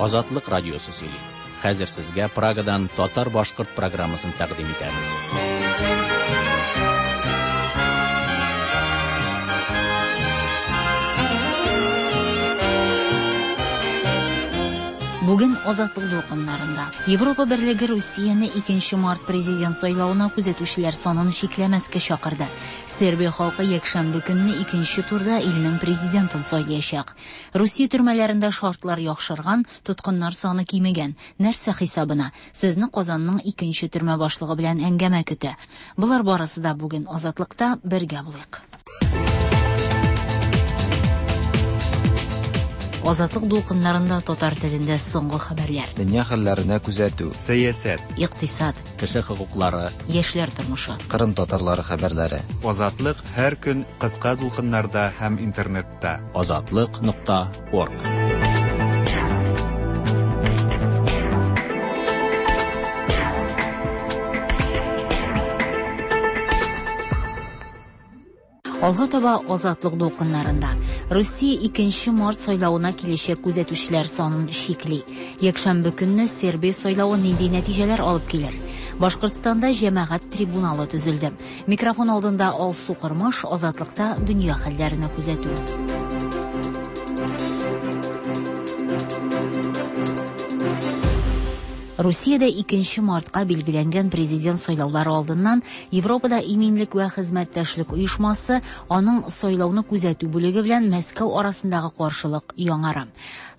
Азатлык радиосы сөйли. Хәзер сезгә Прагадан татар-башкорт программасын тәкъдим итәбез. Бүген Азатлык дулкыннарында Европа Берлеге Русияне 2 март президент сайлавына күзәтүчеләр санын чикләмәскә чакырды. Сербия халкы якшәмбе көнне икенче турда илнең президентын сайлаячак. Русия төрмәләрендә шартлар яхшырган, тоткыннар саны кимегән. Нәрсә хисабына? Сезне Казанның икенче төрмә башлыгы белән әңгәмә көтә. Болар барысы да бүген Азатлыкта бергә булыйк. Азатлык дулкыннарында татар телендә соңгы хәбәрләр. Дөнья хәлләренә күзәтү. Сәясәт. Икътисад. Кеше хокуклары. Яшьләр тормышы. Кырым татарлары хәбәрләре. Азатлык һәр көн кыска дулкыннарда һәм интернетта. Азатлык.орг. Алга таба Азатлык дулкыннарында. Русия 2 март сайлавына киләчәк күзәтүчеләр санын чикли. Якшәмбе көнне Сербия сайлавы нинди нәтиҗәләр алып килер? Башкортстанда җәмәгать трибуналы төзелде. Микрофон алдында Алсу Кырмыш, Азатлыкта дөнья хәлләренә күзәтү. Русиядә 2 мартка билгеләнгән президент сайлаулары алдыннан Европада иминлек вә хезмәттәшлек оешмасы аның сайлауны күзәтү бүлеге белән Мәскәү арасындагы каршылык яңара.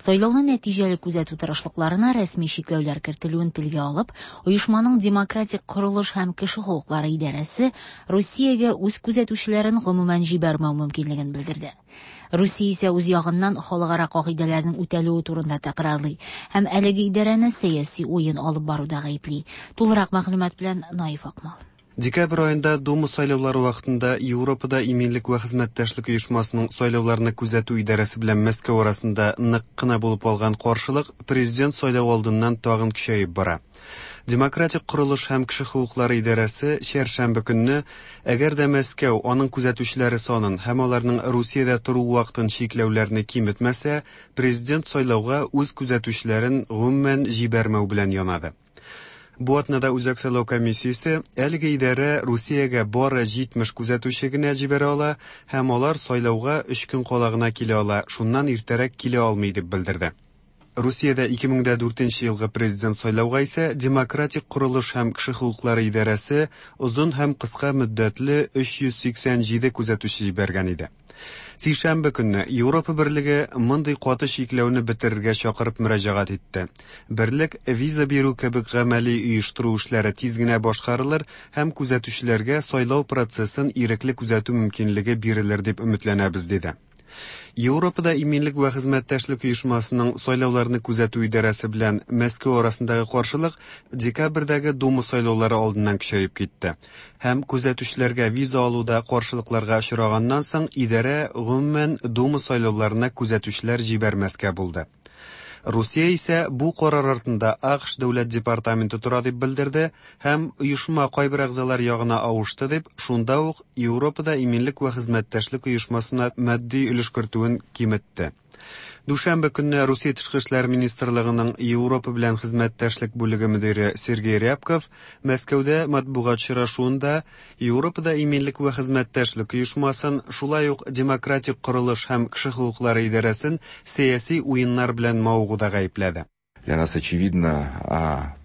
Сайлауны нәтиҗәле күзәтү тырышлыкларына рәсми чикләүләр кертелүен телгә алып, оешманың демократик корылыш һәм кеше хокуклары идарәсе Русиягә үз күзәтүчеләрен гомумән җибәрмәү мөмкинлеген белдерде. Русия исә үз ягыннан халыкара кагыйдәләрнең үтәлүе турында тәкрарлый һәм әлеге идарәне сәяси уен алып баруда гаепли. Тулырак мәгълүмат белән Наиф Акмал. Декабрь аенда Дума сайлаулары вакытында Европада иминлек вә хезмәттәшлек оешмасының сайлауларны күзәтү идарәсе белән Мәскәү арасында нык кына булып алган каршылык президент сайлау алдыннан тагын көчәеп бара. Демократик корылыш һәм кеше хокуклары идарәсе чәршәмбе көнне, әгәр дә Мәскәү аның күзәтүчеләре санын һәм аларның Русиядә тору вакытын чикләүләрне киметмәсә, президент сайлауга үз күзәтүчеләрен гомумән җибәрмәү белән янады. Бу атнада Үзәк сайлау комиссиясе әлеге идарә Русиягә бары 70 күзәтүче генә җибәрә ала һәм алар сайлауга 3 көн кала гына килә ала, шуннан иртәрәк килә алмый дип белдерде. Русиядә 2004 елгы президент сайлауга исә Демократик корылыш һәм кеше хокуклары идарәсе озын һәм кыска мөддәтле 387 күзәтүче җибәргән иде. Сишәмбе көнне Европа Берлеге мондый каты чикләүне бетерергә чакырып мөрәҗәгать итте. Берлек виза бирү кебек гамәли оештыру эшләре тиз генә башкарылыр һәм күзәтүчеләргә сайлау процессын ирекле күзәтү мөмкинлеге бирелер дип өметләнәбез, диде. Европада иминлек вә хезмәттәшлек оешмасының сайлауларны күзәтү идарәсе белән Мәскәү арасындагы каршылык декабрьдәге Дума сайлаулары алдыннан көчәеп китте. Һәм күзәтүчеләргә виза алуда каршылыкларга очраганнан соң идарә гомумән Дума сайлауларына күзәтүчеләр җибәрмәскә булды. Русия исә бу карар артында АКШ дәүләт департаменты тора дип белдерде һәм оешма кайбер әгъзалар ягына авышты дип, шунда ук Европада иминлек вә хезмәттәшлек оешмасына матди өлеш кертүен киметте. Дүшәмбе көнне Русия тышкы эшләр министрлыгының Европа белән хезмәттәшлек бүлеге мөдире Сергей Рябков Мәскәүдә матбугат очрашуында Европада иминлек вә хезмәттәшлек оешмасын, шулай ук демократик корылыш һәм кеше хокуклары идарәсен сәяси уеннар белән мавыгуда гаепләде. Для нас очевидно,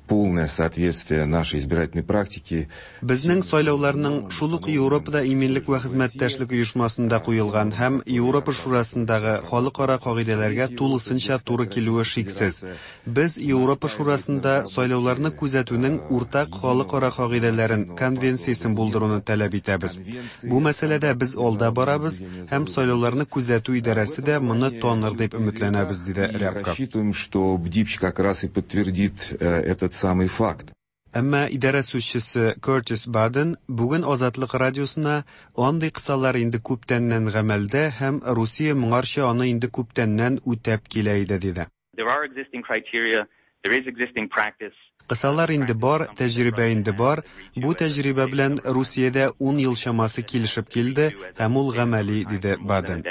полное соответствие нашей избирательной практике. Безнең сайлауларның шул ук Европада иминлек вә хезмәттәшлек оешмасында куелган һәм Европа Шурасындагы халыкара кагыйдәләргә тулысынча туры килүе шиксез. Без Европа Шурасында сайлауларны күзәтүнең уртак халыкара кагыйдәләрен, конвенциясен булдыруны таләп итәбез. Бу мәсьәләдә без алда барабыз һәм сайлауларны күзәтү идарәсе дә моны таныр дип өметләнәбез, диде Рябков. Рассчитываем, что БДИПЧ как раз и подтвердит этот самый факт. Әмма идарә сүзчесе Кертис Баден бүген Азатлык радиосына андый кысалар инде күптәннән гамәлдә һәм Русия моңарча аны инде күптәннән үтәп килә иде, диде. There are existing criteria, there is existing practice. Кысалар инде бар, тәҗрибә инде бар. Бу тәҗрибә белән Русиядә 10 ел чамасы килешеп килде һәм ул гамәли, диде Баден.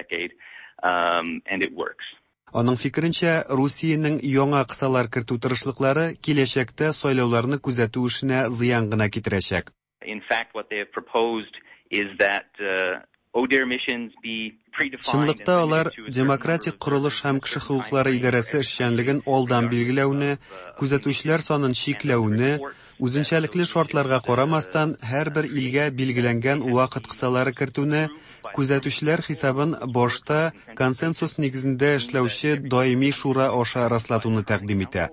And it works. Аның фикеренчә, Русиянең яңа кысалар кертү тырышлыклары киләчәктә сайлауларны күзәтү эшенә зыян гына китерәчәк. In fact, what they have proposed is that ODIHR missions be predefined. Чынлыкта алар Демократик корылыш һәм кеше хокуклары идарәсе эшчәнлеген алдан билгеләүне, күзәтүчеләр санын чикләүне, үзенчәлекле шартларга карамастан, һәрбер илгә билгеләнгән вакыт кысалары кертүне, күзәтүчеләр хисабын башта консенсус нигезендә эшләүче даими шура аша раслатуны тәкъдим итә.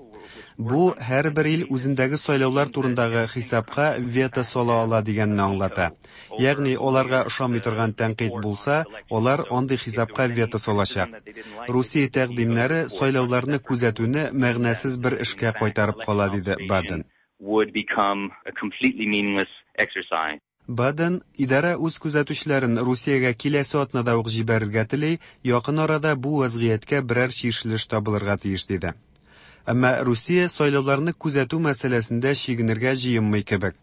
Бу һәрбер ил үзендәге сайлаулар турындагы хисапка вето сала ала дигәнне аңлата. Ягъни аларга ошамый торган тәнкыйть булса, алар андый хисапка вето салачак. Русия тәкъдимнәре сайлауларны күзәтүне мәгънәсез бер эшкә кайтарып кала, диде Баден. Would become a completely meaningless exercise. Баден, идарә үз күзәтүчеләрен Русиягә киләсе атнада ук җибәрергә тели, якын арада бу вазгыятькә берәр чишелеш табылырга тиеш, диде. Әмма Русия сайлауларны күзәтү мәсьәләсендә чигенергә җыенмый кебек.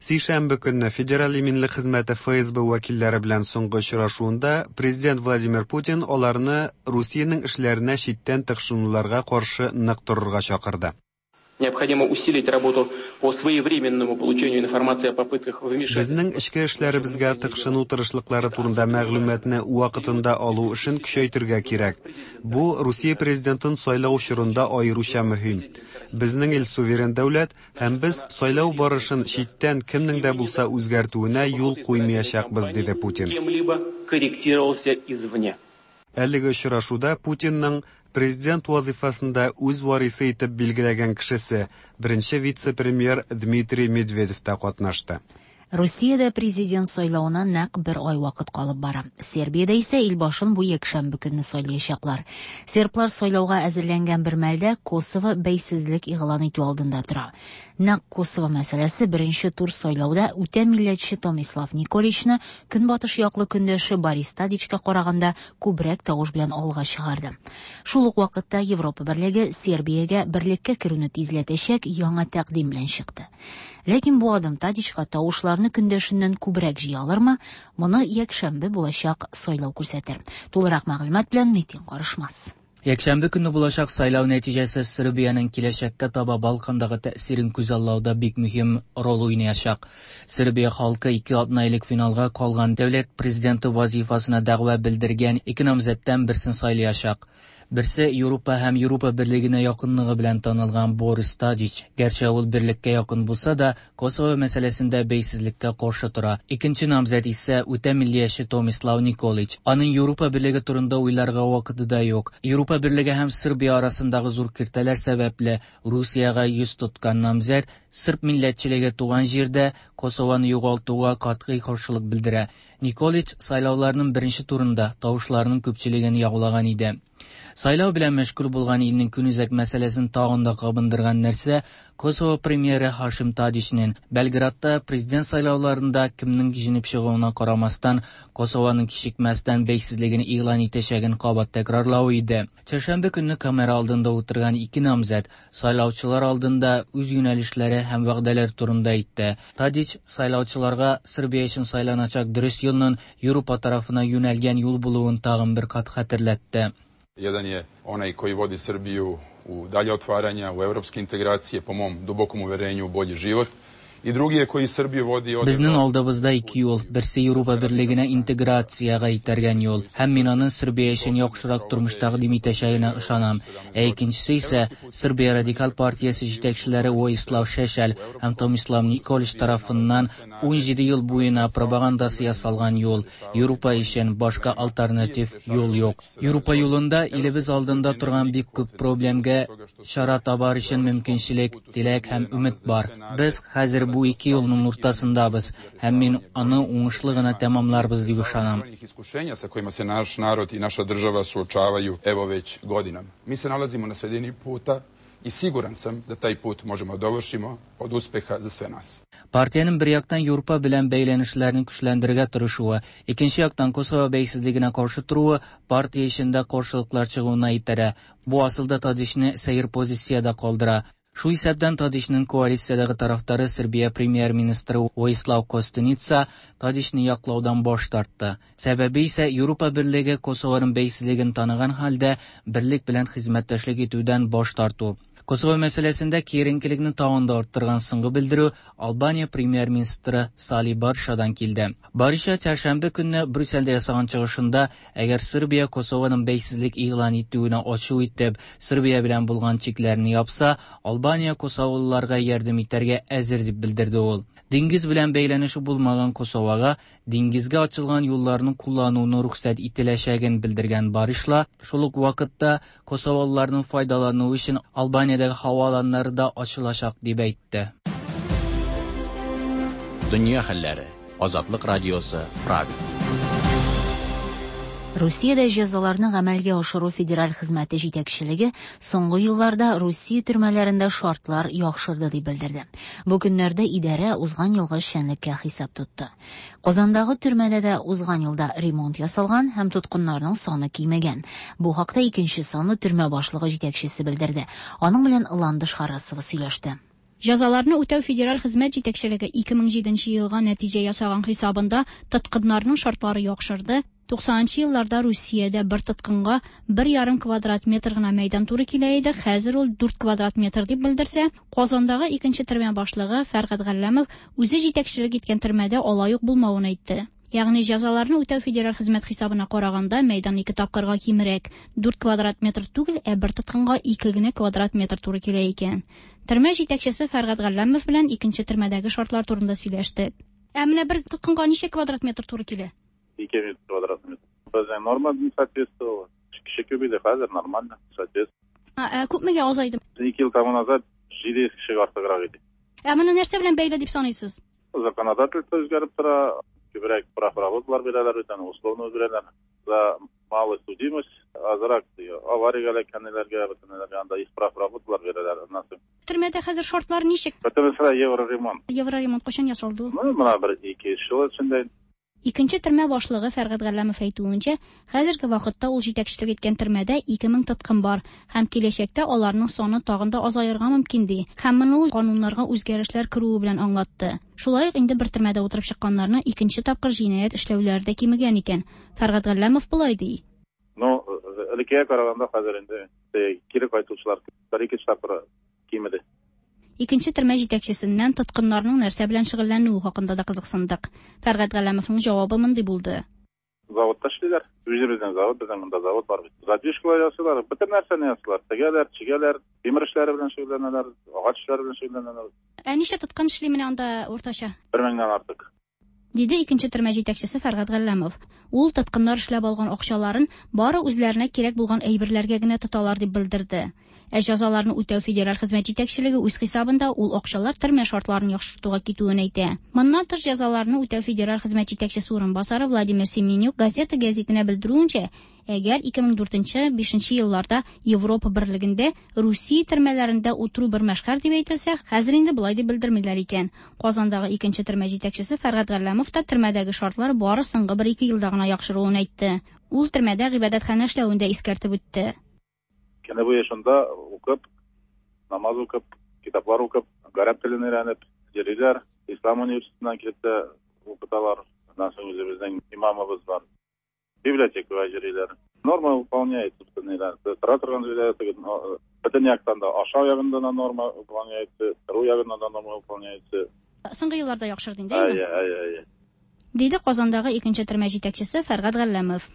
Сишәмбе көнне Федераль иминлек хезмәте ФСБ вәкилләре белән соңгы очрашуында президент Владимир Путин аларны Русиянең эшләренә читтән тыкшынуларга каршы нык торырга чакырды. Необходимо усилить работу по своевременному получению информации о попытках вмешательства. Безнең эчке эшләребезгә тыкшыну тырышлыклары турында мәгълүматны вакытында алу эшен көчәйтергә кирәк. Бу Русия президентын сайлау чорында аеруча мөһим. Безнең ил суверен дәүләт һәм без сайлау барышын читтән кемнең дә булса үзгәртүенә юл куймаячакбыз, диде Путин. Кем-либо корректировался извне. Әлеге очрашуда Путинның президент вазифасында үз варисы итеп билгеләгән кешесе, беренче вице-премьер Дмитрий Медведев та катнашты. Русиядә президент сайлавына нәкъ бер ай вакыт калып бара. Сербиядә исә ил башын бу якшәмбе көнне сайлаячаклар. Серблар сайлауга әзерләнгән бер мәлдә Косово бәйсезлек игълан итү алдында тора. Нәкъ Косово мәсьәләсе беренче тур сайлауда үтә милләтче Томислав Николичны көнбатыш яклы көндәше Борис Тадичка караганда күбрәк тавыш белән алга чыгарды. Шул ук вакытта Европа берлеге Сербиягә берлеккә керүне тизләтәчәк яңа тәкъдим белән чыкты. Ләкин бу адым Тадичка тавышларны көндәшеннән күбрәк җыя алырмы? Моны якшәмбе булачак сайлау күрсәтер. Тулырак мәгълүмат белән Метин Карышмас. Якшәмбе көнне булачак сайлау нәтиҗәсе Сербиянең киләчәккә таба Балкандагы тәэсирен күзаллауда бик мөһим роль уйнаячак. Сербия халкы 2 атна элек финалга калган дәүләт президенты вазифасына дәгъва белдергән ике намзәттән берсен сайлаячак. Берсе Европа һәм Европа берлегенә якынлыгы белән танылган Борис Тадич. Гәрчә ул берлеккә якын булса да, Косово мәсьәләсендә бәйсезлеккә каршы тора. Икенче намзәт исә үтә миллияче Томислав Николич. Аның Европа берлеге турында уйларга вакыты да юк. Европа берлеге һәм Сербия арасындагы зур киртәләр сәбәпле Русиягә йөз тоткан намзәт серб милләтчелеге туган җирдә Косовоны югалтуга катгый каршылык белдерә. Николич сайлауларның беренче турында тавышларның күпчелеген яулаган иде. Сайлау белән мәшгуль булган илнең көнүзәк мәсьәләсен тагын да кабындырган нәрсә Косово премьеры Хашим Тадичнең Белградта президент сайлауларында кемнең җиңеп чыгуына карамастан Косованың кичекмәстән бәйсезлеген игълан итәчәген кабат тәкрарлавы иде. Чәршәмбе көнне камера алдында утырган ике намзәт сайлаучылар алдында үз юнәлешләре һәм вәгъдәләр турында әйтте. Тадич сайлаучыларга Сербия өчен сайланачак дөрес юлның Европа тарафына юнәлгән юл булуын тагын бер кат хәтерләтте. Jedan je onaj koji vodi Srbiju u dalje otvaranja, u evropske integracije, po mom dubokom uverenju u bolji život. И drugi je koji Srbiju vodi od... Безнең алдыбызда ике юл. Берсе Европа берлегенә интеграциягә итәргән юл. Һәм мин аның Сербия өчен яхшырак тормыш тәкъдим итәчәгенә ышанам. Ә икенчесе исә Сербия радикаль партиясе җитәкчеләре Воислав Шешел һәм Томислав Николич тарафыннан 17 ел буена пропагандасы ясалган юл. Европа өчен башка альтернатив юл юк. Европа юлында илебез алдында торган бик күп проблемга чара табар өчен мөмкинчелек, теләк һәм өмет бар. Без хәзер бу ике юлның уртасындабыз һәм мин аны уңышлы гына тәмамларбыз дип ышанам. Iskušenja sa kojima se naš narod i naša država suočavaju evo već godinama. Mi se nalazimo na sredini puta i siguran sam da taj put možemo dovršimo od uspeha za sve nas. Партиянең бер яктан Европа белән бәйләнешләрен көчләндерергә тырышуы, икенче яктан Косово бәйсезлегенә каршы торуы партия эчендә каршылыклар чыгуына итерә. Бу асылда Тадичны сәер позициядә калдыра. Шул исәптән Тадичның коалициядәге тарафдары Сербия премьер-министры Воислав Костуница Тадичны яклаудан баш тартты. Сәбәбе исә Европа берлеге Косованың бәйсезлеген таныган хәлдә берлек белән хезмәттәшлек итүдән баш тарту. Косово мәсьәләсендә киеренкелекне тагын да арттырган соңгы белдерү Албания премьер-министры Сали Баршадан килде. Бариша чәршәмбе көнне Брюссельдә ясаган чыгышында, әгәр Сербия Косованың бәйсезлек игълан итүенә ачу итеп, Сербия белән булган чикләрне япса, Албания косоволыларга ярдәм итәргә әзер дип белдерде ул. Диңгез белән бәйләнеше булмаган Косовага диңгезгә ачылган юлларны куллануны рөхсәт ителәчәген белдергән Баришла, шул ук вакытта косоволыларның файдалануы өчен Албаниядәге һава аланнары да ачылачак дип әйтте. Дөнья хәлләре. Азатлык радиосы, Прага. Русиядә җәзаларны гамәлгә ашыру федераль хезмәте җитәкчелеге соңгы елларда Русия төрмәләрендә шартлар яхшырды дип белдерде. Бу көннәрдә идарә узган елгы эшчәнлеккә хисап тотты. Казандагы төрмәдә дә узган елда ремонт ясалган һәм тоткыннарның саны кимегән. Бу хакта икенче санлы төрмә башлыгы җитәкчесе белдерде. Аның белән Ландыш Харасова сөйләште. Җәзаларны үтәү федераль хезмәт җитәкчелеге 2007 елга нәтиҗә ясаган хисабында тоткыннарның шартлары яхшырды. 90 елларда Русиядә бер тоткынга 1,5 квадрат метр гына мәйдан туры килә иде, хәзер ул 4 квадрат метр дип белдерсә, Казандагы икенче төрмә башлыгы Фәргать Галләмов үзе җитәкчелек иткән төрмәдә алай ук булмавын әйтте. Ягъни җәзаларны үтәү федераль хезмәт хисабына караганда мәйдан 2 тапкырга кимрәк, 4 квадрат метр түгел, ә бер тоткынга 2 генә квадрат метр туры килә икән. Төрмә җитәкчесе Фәргать Галләмов белән икенче төрмәдәге шартлар турында сөйләштек. Ә менә бер тоткынга ничә квадрат метр туры килә? 2 квадрат метр. Безнең норма не соответствовала. Кеше күп иде, хәзер нормально, соответствует. Ә күпмегә азайды? 2 ел тому назад 700 кешегә артыграк иде. Ә моны нәрсә белән бәйле дип саныйсыз? Законодательство үзгәреп тора, күбрәк прав работалар бирәләр, бүтән условно бирәләр. За малую судимость, азрак авариягә эләккәннәргә, бүтәннәргә анда исправ работалар бирәләр. Аннан соң Төрмәдә хәзер шартлар ничек? Бөтенесе евроремонт. Евроремонт кайчан ясалды? Ну, менә бер 2 ел эчендә. Икенче төрмә башлыгы Фәргать Галләмов әйтүенчә, хәзерге вакытта ул җитәкчелек иткән төрмәдә 2000 тоткын бар һәм киләчәктә аларның саны тагын да азаерга мөмкин ди. Һәм моны ул кануннарга үзгәрешләр керүе белән аңлатты. Шулай ук инде бер төрмәдә утырып чыкканнарны икенче тапкыр җинаять эшләүләре дә кимегән икән. Фәргать Галләмов болай ди. Ну, элеккегә караганда хәзер инде кире кайтучылар бер-ике тапкыр кимеде. Икенче төрмә җитәкчесеннән тоткыннарның нәрсә белән шөгыльләнүе хакында да кызыксындык. Фәргать Галләмовның җавабы мондый булды. Заводта эшлиләр. Үзебезнең завод, безнең монда завод бар бит. Задвижкалар ясыйлар, бөтен нәрсәне ясыйлар. Тегәләр, чигәләр, тимер эшләре белән шөгыльләнәләр, агач эшләре белән шөгыльләнәләр. Ә ничә тоткын эшли менә анда уртача? 1000-нән артык. Диде икенче төрмә җитәкчесе Фәргать Галләмов. Ул тоткыннар эшләп алган акчаларын бары үзләренә кирәк булган әйберләргә генә тоталар дип белдерде. Ә җәзаларны үтәү федераль хезмәт җитәкчелеге үз хисабында ул акчалар төрмә шартларын яхшыртуга китүен әйтә. Моннан тыш җәзаларны үтәү федераль хезмәт җитәкчесе урынбасары Владимир Семенюк газета гәзитенә белдерүенчә, әгәр 2004-5 елларда Европа берлегендә Русия төрмәләрендә утыру бер мәшһәр дип әйтелсә, хәзер инде болай дип белдермиләр икән. Казандагы икенче төрмә җитәкчесе Фәргать Галләмов та төрмәдәге шартлар бары соңгы 1-2 елда гына яхшыруын әйтте. Ул төрмәдә гыйбадәтханә эшләвен дә искәртеп үтте. Көне буе шунда укып, намаз укып, китаплар укып, гарәп телен өйрәнеп йөриләр. Ислам университетыннан килеп тә укыталар. Аннан соң үзебезнең имамыбыз бар. Библиотекага йөриләр. Норма выполняется, тора торган җирдә, бөтен яктан да, ашау ягында да норма выполняется, тору ягында да норма выполняется. Соңгы елларда яхшырды инде, әйе? Әйе, әйе. Диде Казандагы икенче төрмә җитәкчесе Фәргать Галләмов.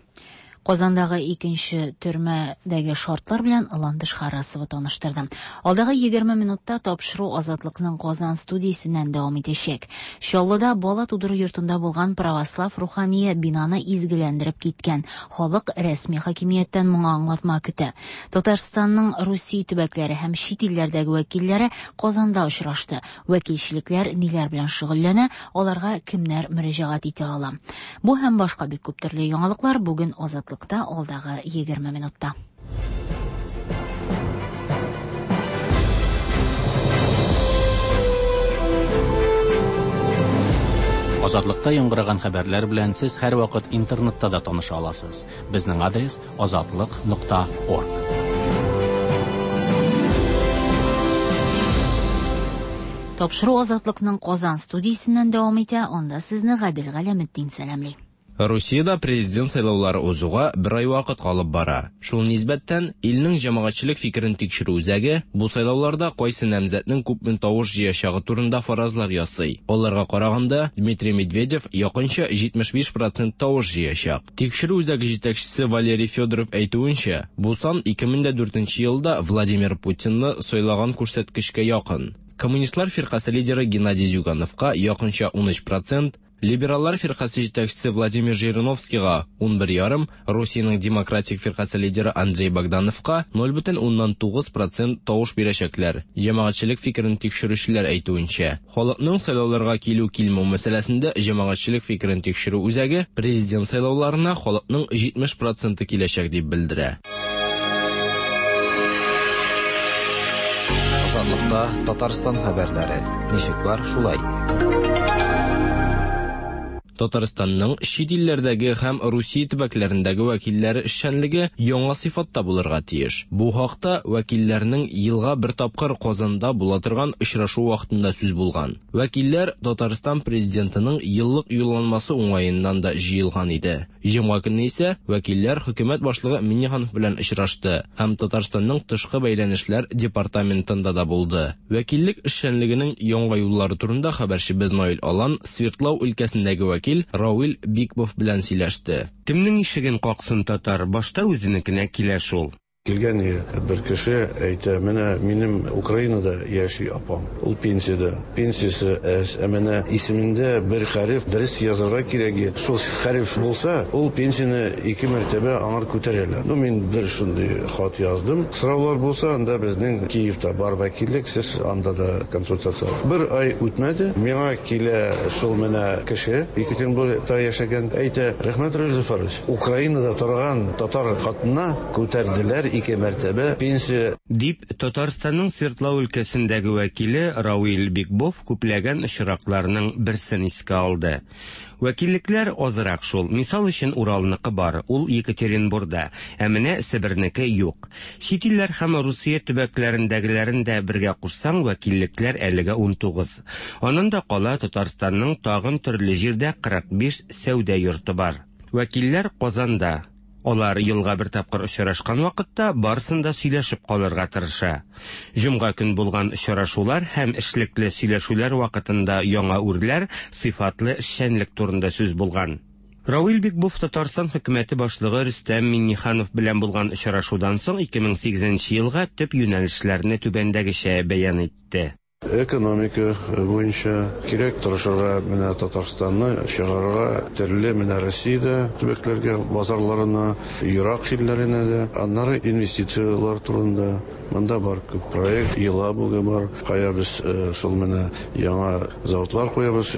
Казандагы икенче төрмәдәге шартлар белән Ландыш Харасова таныштырды. Алдагы 20 минутта тапшыру Азатлыкның Казан студиясеннән дәвам итәчәк. Чаллыда бала тудыру йортында булган православ рухание бинаны изгеләндереп киткән. Халык рәсми хакимияттән моңа аңлатма көтә. Татарстанның Русия төбәкләре һәм чит илләрдәге вәкилләре Казанда очрашты. Вәкилчелекләр ниләр белән шөгыльләнә, аларга кемнәр мөрәҗәгать итә ала. Бу һәм башка бик күп төрле яңалыклар бүген Азатлык алдагы 20 минутта. Азатлыкта яңгыраган хәбәрләр белән сез һәрвакыт интернетта да таныша аласыз. Безнең адрес azatliq.org. Тапшыру Азатлыкның Казан студиясеннән дәвам итә, анда сезне Гадел Галәметдин сәламли. Русиядә президент сайлаулары узуга бер ай вакыт калып бара. Шул нисбәттән, илнең җәмәгатьчелек фикерен тикшерү үзәге бу сайлауларда кайсы намзәтнең күпме тавыш җыячагы турында фаразлар ясый. Аларга караганда, Дмитрий Медведев якынча 75 процент тавыш җыячак. Тикшерү үзәге җитәкчесе Валерий Федоров әйтүенчә, бу сан 2004 елда Владимир Путинны сайлаган күрсәткечкә якын. Коммунистлар фиркасе лидеры Геннадий Зюгановка якынча 13 процент, Либераллар фиркасе җитәкчесе Владимир Жириновскийга 11,5, Русиянең Демократик фиркасе лидеры Андрей Богдановка 0,9 процент тавыш бирәчәкләр. Җәмәгатьчелек фикерен тикшерүчеләр әйтүенчә, халыкның сайлауларга килү-килмәү мәсьәләсендә җәмәгатьчелек фикерен тикшерү үзәге президент сайлауларына халыкның 70 проценты киләчәк дип белдерә. Азатлыкта Татарстан хәбәрләре. Ничек бар, шулай. Татарстанның чит илләрдәге һәм Русия төбәкләрендәге вәкилләре эшчәнлеге яңа сыйфатта булырга тиеш. Бу хакта вәкилләрнең елга бер тапкыр Казанда була торган очрашу вакытында сүз булган. Вәкилләр Татарстан президентының еллык юлланмасы уңаеннан да җыелган иде. Җомга көнне исә вәкилләр хөкүмәт башлыгы Миңнеханов белән очрашты һәм Татарстанның тышкы бәйләнешләр департаментында да булды. Вәкиллек эшчәнлегенең яңа юллары турында хәбәрчебез Наил Алан Свердлау өлкәсендәге вәкил Равил Бикбов белән сөйләште. Кемнең ишеген каксын татар, башта үзенекенә килә шул. Килгән бер кеше әйтә, менә минем Украинада яши апам, ул пенсиядә. Пенсиясе әз, ә менә исемендә бер хәреф дөрес язарга кирәк. Шул хәреф булса, ул пенсияне ике мәртәбә аңар күтәрәләр. Ну, мин бер шундый хат яздым. Сораулар булса, анда безнең Киевта бар вәкиллек, сез анда да консультация. Бер ай үтмәде, миңа килә шул менә кеше, Екатеринбургта яшәгән, әйтә, рәхмәт, Равил Зөфәрович, Украинада торган татар хатынына күтәрделәр ике мәртәбә пенсия. Дип, Татарстанның Свердлау өлкәсендәге вәкиле Равил Бикбов күпләгән очракларның берсен искә алды. Вәкиллекләр азрак шул. Мисал өчен Уралныкы бар, ул Екатеринбурда, ә менә Себернеке юк. Чит илләр һәм Русия төбәкләрендәгеләрен дә бергә кушсаң, вәкиллекләр әлегә 19. Аннан да кала Татарстанның тагын төрле җирдә 45 сәүдә йорты бар. Вәкилләр Казанда. Алар елга бер тапкыр очрашкан вакытта барысын да сөйләшеп калырга тырыша. Җомга көн булган очрашулар һәм эшлекле сөйләшүләр вакытында яңа үрләр, сыйфатлы эшчәнлек турында сүз булган. Равил Бикбов Татарстан хөкүмәте башлыгы Рөстәм Миңнеханов белән булган очрашудан соң 2008 елга төп юнәлешләрне түбәндәгечә бәян итте. Экономика буенча кирәк тырышырга менә Татарстанны чыгарырга төрле менә Россиядә төбәкләргә, базарларына, ерак илләренә дә, аннары инвестицияләр турында. Монда бар күп проект, Елабуга бар, кая без шул менә яңа заводлар куябыз,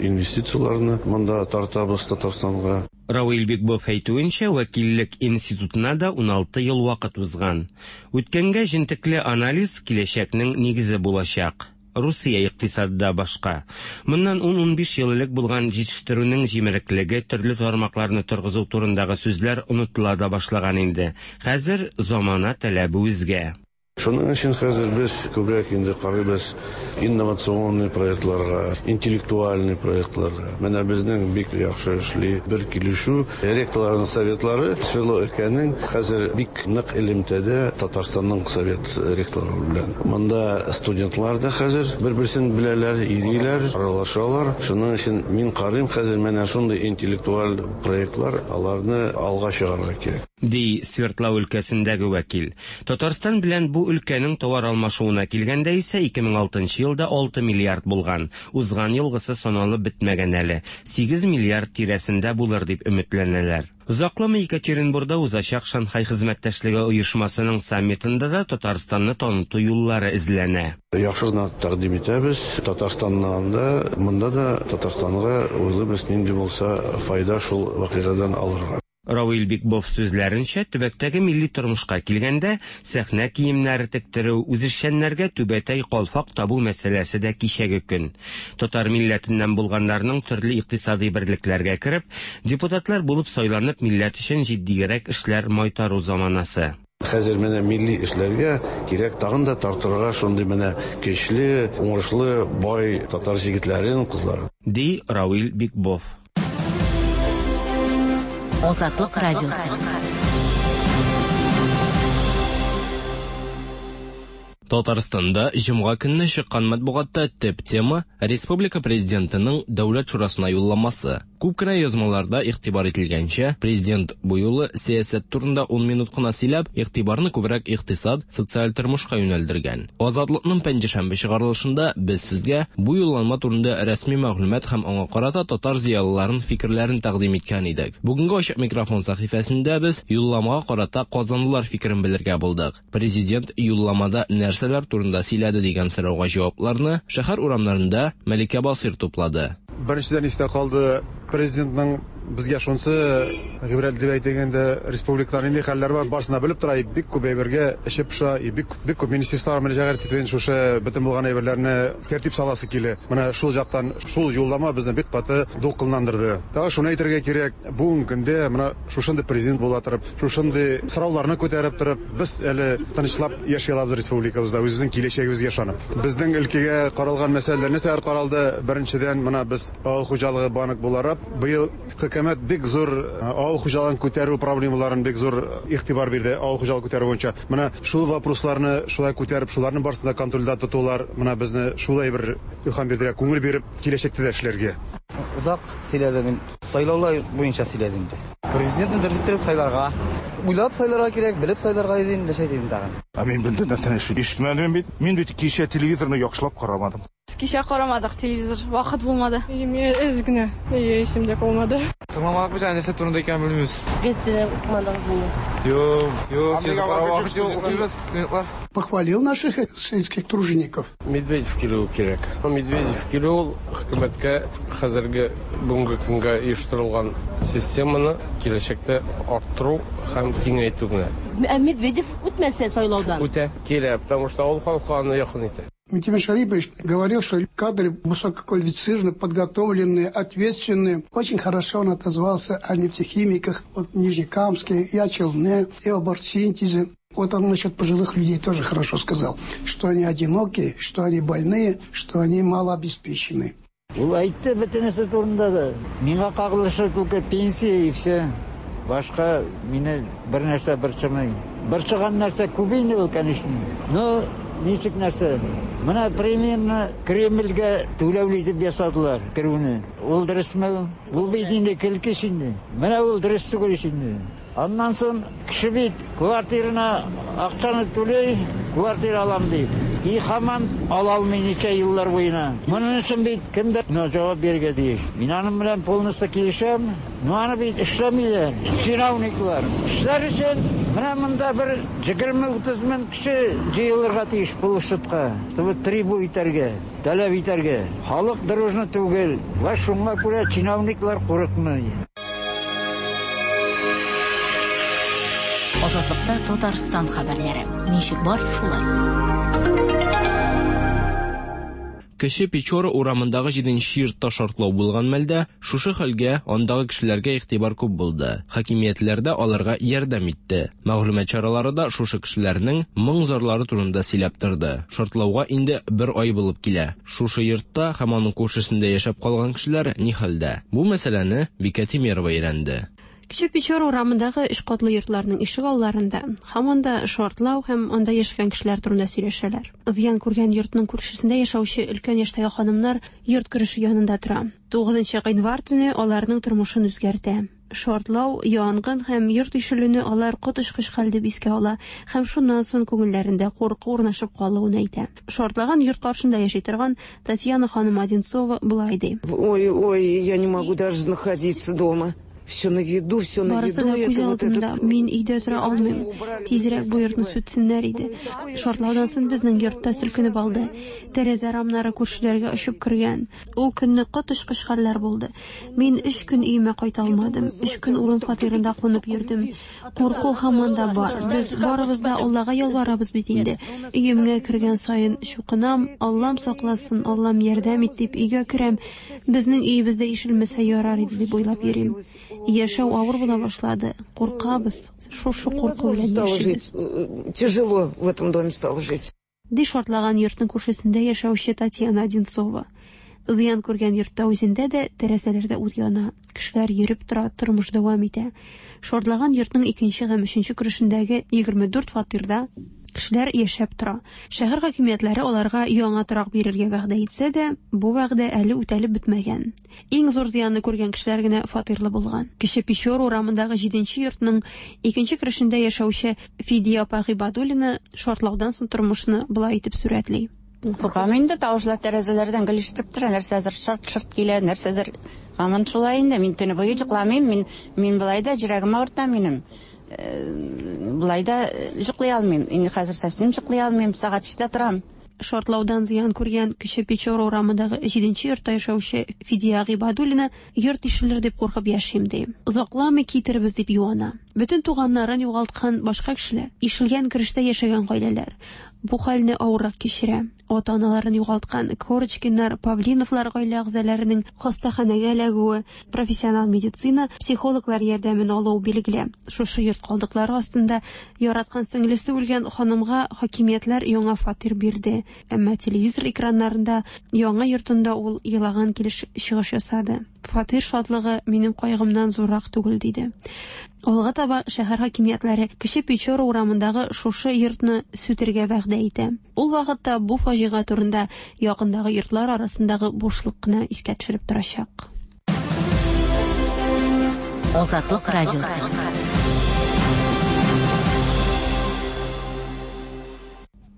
инвестицияләрне монда тартабыз Татарстанга. Равил Бикбов әйтүенчә, вәкиллек институтына да 16 ел вакыт узган. Үткәнгә җентекле анализ киләчәкнең нигезе булачак. Русия икътисады да башка. Моннан 10-15 ел элек булган җитештерүнең җимереклеге, төрле тармакларны торгызу турындагы сүзләр онытыла да башлаган инде. Хәзер замана таләбе үзгә. Шуның өчен хәзер без күбрәк инде карыйбыз инновационный проектларга, интеллектуальный проектларга. Менә безнең бик яхшы эшли бер килешү. Ректорларның советлары Свердлов өлкәнең хәзер бик нык элемтәдә Татарстанның совет ректорлары белән. Монда студентлар да хәзер бер-берсен беләләр, йөриләр, аралашалар. Шуның өчен мин карыйм хәзер менә шундый интеллектуаль проектлар, аларны алга чыгарырга кирәк. Ди Свердлау өлкәсендәге вәкил. Татарстан белән бу өлкәнең товар алмашуына килгәндә исә 2006 елда 6 миллиард булган. Узган елгысы саналып бетмәгән әле. 8 миллиард тирәсендә булыр дип өметләнәләр. Озакламый Екатеринбургда узачак Шанхай хезмәттәшлеге оешмасының саммитында да Татарстанны таныту юллары эзләнә. Яхшы гына тәкъдим итәбез. Татарстаннан да, монда да Татарстанга уйлыйбыз, нинди булса файда шул вакыйгадан алырга. Равил Бикбов сүзләренчә, төбәктәге милли тормышка килгәндә, сәхнә киемнәре тектерү, үзешчәннәргә түбәтәй калфак табу мәсьәләсе дә кичәге көн. Татар милләтеннән булганнарның төрле икътисади берлекләргә кереп, депутатлар булып сайланып, милләт өчен җитдиерәк эшләр майтару заманасы. Хәзер менә милли эшләргә кирәк тагын да тартырга шундый менә көчле, уңышлы, бай татар җегетләрен, кызларын. Ди Равил Бикбов. Азатлык радиосы. Татарстанда җомга көнне чыккан матбугатта төп тема республика президентының Дәүләт шурасына юлламасы. Күп кенә язмаларда игътибар ителгәнчә, президент бу юлы сәясәт турында 10 минут кына сөйләп, игътибарны күбрәк икътисад, социаль тормышка юнәлдергән. Азатлыкның пәнҗешәмбе чыгарылышында без сезгә бу юлланма турында рәсми мәгълүмат һәм аңа карата татар зыялыларының фикерләрен тәкъдим иткән идек. Бүгенге ачык микрофон сәхифәсендә без юлламага карата казанлылар фикерен белергә булдык. Президент юлламада нәрсәләр турында сөйләде дигән сорауга җавапларны шәһәр урамнарында Мәликә Басыйр туплады. Беренчедән истә калды президентның безгә шунысы гыйбрәт дип әйтгәндә республикада нинди хәлләр бар, барысын да белеп тора, бик күп әйбергә эше пошa, бик бик күп министрлар мөрәҗәгать итеп шушы бөтен булган әйберләрне тәртип саласы килә. Менә шул жактан шул юллама безне бик каты дулкынландырды. Тагы шуны әйтергә кирәк, бүгенге көндә менә шушындый президент була торып, шушындый сорауларны күтәреп торып, без әле тынычлап яши алабыз республикабызда, үзебезнең киләчәгебезгә ышанып. Безнең өлкәгә каралган мәсьәләләр нәрсәләр каралды? Беренчедән, менә без авыл хуҗалыгы банк буларак быел хөкүмәт бик зур авыл хуҗалыгын күтәрү проблемаларын бик зур игътибар бирде авыл хуҗалыгы күтәрү буенча. Менә шул вопросларны шулай күтәреп, шуларның барысын да контрольдә тотулар, менә безне шулай бер илһам бирде, күңел биреп киләчәктә дә эшләргә. Озак сөйләде мин. Сайлаулар буенча сөйләде инде. Президентны дөрес итеп сайларга, уйлап сайларга кирәк, белеп сайларга иде инде, нәрсә дим тагын. Ә мин бында нәрсәне ишетмәдем бит. Мин бит кичә телевизорны яхшылап карамадым. Кичә карамадык телевизор, вакыт булмады. Мин әз генә, исемдә калмады. Тыңламадык без, нәрсә турында икәнен белмибез. Газетада укымадыгыз инде. Юк, юк, сез карау вакыт юк, укыйбыз, студентлар. Похвалил наших сельских тружеников. Медведев килүе кирәк. Медведев килү ул хөкүмәткә хәзерге бүгенге көнгә оештырылган системаны киләчәктә арттыру һәм киңәйтү генә. Ә Медведев үтмәсә сайлаудан? Үтә, килә, потому что ул халыкка аны якын итә. Минтимер Шарипович говорил, что кадры высококвалифицированные, подготовленные, ответственные. Очень хорошо он отозвался о нефтехимиках, вот Нижнекамске, и о Челне, и об оргсинтезе. Вот он насчет пожилых людей тоже хорошо сказал, что они одинокие, что они больные, что они малообеспечены. Ул әйтте бөтенесе турында да. Миңа кагылышы только пенсия и все. Башка мине бер нәрсә борчымый. Борчыган нәрсә күп инде ул, конечно. Но ничек нәрсә? Менә примерно Кремльгә түләүле итеп ясадылар керүне. Ул дөресме? Ул бит инде көлке инде. Менә ул дөрес түгел инде. Аннан соң кеше бит квартирына акчаны түләй, квартира алам ди. И һаман ала алмый ничә еллар буена. Моның өчен бит кемдер җавап бирергә тиеш. Мин аның белән полностью килешәм. Но аны бит эшләмиләр. Чиновниклар. Эшләр өчен менә монда бер 20-30 мең кеше җыелырга тиеш площадька, чтобы требу итәргә, таләп итәргә. Халык дружно түгел. Вә шуңа күрә чиновниклар курыкмый. Азатлыкта Татарстан хәбәрләре. Ничек бар, шулай. Кече Печора урамындагы 7нче йортта шартлау булган мәлдә шушы хәлгә андагы кешеләргә игътибар күп булды. Хакимиятләр дә аларга ярдәм итте. Мәгълүмат чаралары да шушы кешеләрнең моң-зарлары турында сөйләп торды. Шартлауга инде бер ай булып килә. Шушы йортта һәм аның күршесендә яшәп калган кешеләр ни хәлдә? Бу мәсьәләне Бикә Тимерова өйрәнде. Кече Печора урамындагы өч катлы йортларның ишек алларында һаман да шартлау һәм анда яшәгән кешеләр турында сөйләшәләр. Зыян күргән йортның күршесендә яшәүче өлкән яшьтәге ханымнар йорт кереше янында тора. 9 гыйнвар төне аларның тормышын үзгәртә. Шартлау, янгын һәм йорт ишелүне алар коточкыч хәл дип искә ала һәм шуннан соң күңелләрендә курку урнашып калуын әйтә. Шартлаган йорт каршында яши торган Татьяна ханым Одинцова болай ди. Ой, ой, я не могу даже находиться дома. Все на виду, все на Барысы виду. да күз Это вот алдында. этот... Мин өйдә тора алмыйм. Тизрәк бу йортны сүтсеннәр иде. Шартлаудан соң безнең йортта селкенеп алды. Тәрәзә рамнары күршеләргә очып кергән. Ул көнне коточкыч хәлләр булды. Мин 3 көн өемә кайта алмадым. 3 көн улым фатирында кунып йөрдем. Курку һаман да бар. Без барыбыз да Аллага ялварабыз бит инде. Өемгә кергән саен чукынам, Аллам сакласын, Аллам ярдәм ит дип өйгә керәм. Безнең өебездә ишелмәсә ярар иде дип уйлап йөрим. Яшәү авыр була башлады. Куркабыз. Шушы курку белән яшибез. Тяжело в этом доме стало жить. Ди шартлаган йортның күршесендә яшәүче Татьяна Одинцова. Зыян күргән йортта үзендә дә тәрәзәләрдә ут яна. Кешеләр йөреп тора, тормыш дәвам итә. Шартлаган йортның икенче һәм өченче керешендәге 24 фатирда кешеләр яшәп тора. Шәһәр хакимиятләре аларга яңа торак бирергә вәгъдә итсә дә, бу вәгъдә әле үтәлеп бетмәгән. Иң зур зыянны күргән кешеләр генә фатирлы булган. Кече Печора урамындагы 7 йортның икенче керешендә яшәүче Фидия апа Гыйбадуллина шартлаудан соң тормышны болай итеп сурәтли. Куркам инде, тавышлар тәрәзәләрдән гел ишетеп тора, нәрсәдер шарт-шарт килә, нәрсәдер. Һаман шулай инде, мин төне буе йокламыйм, мин, мин болай да йөрәгем авырта минем. Болай да йоклый алмыйм. Инде хәзер совсем йоклый алмыйм, сәгать 3-тә торам. Шартлаудан зыян күргән Кече Печора урамындагы 7 йортта яшәүче Фидия Гыйбадуллина йорт ишелер дип куркып яшим ди. Озакламый китербез дип юана. Бөтен туганнарын югалткан башка кешеләр, ишелгән керештә яшәгән гаиләләр бу хәлне авыррак кичерә. Ата-аналарын югалткан Корочкиннар, Павлиновлар гаилә әгъзаларының хастаханәгә эләгүе, профессионал медицина, психологлар ярдәмен алуы билгеле. Шушы йорт калдыклары астында яраткан сеңлесе үлгән ханымга хакимиятләр яңа фатир бирде. Әмма телевизор экраннарында яңа йортында ул елаган килеш чыгыш ясады. Фатир шатлыгы минем кайгымнан зуррак түгел, диде. Алга таба шәһәр хакимиятләре Кече Печора урамындагы шушы йортны сүтергә вәгъдә итә. Ул вакытта бу фаҗига турында якындагы йортлар арасындагы бушлык кына искә төшереп торачак. Азатлык радиосы.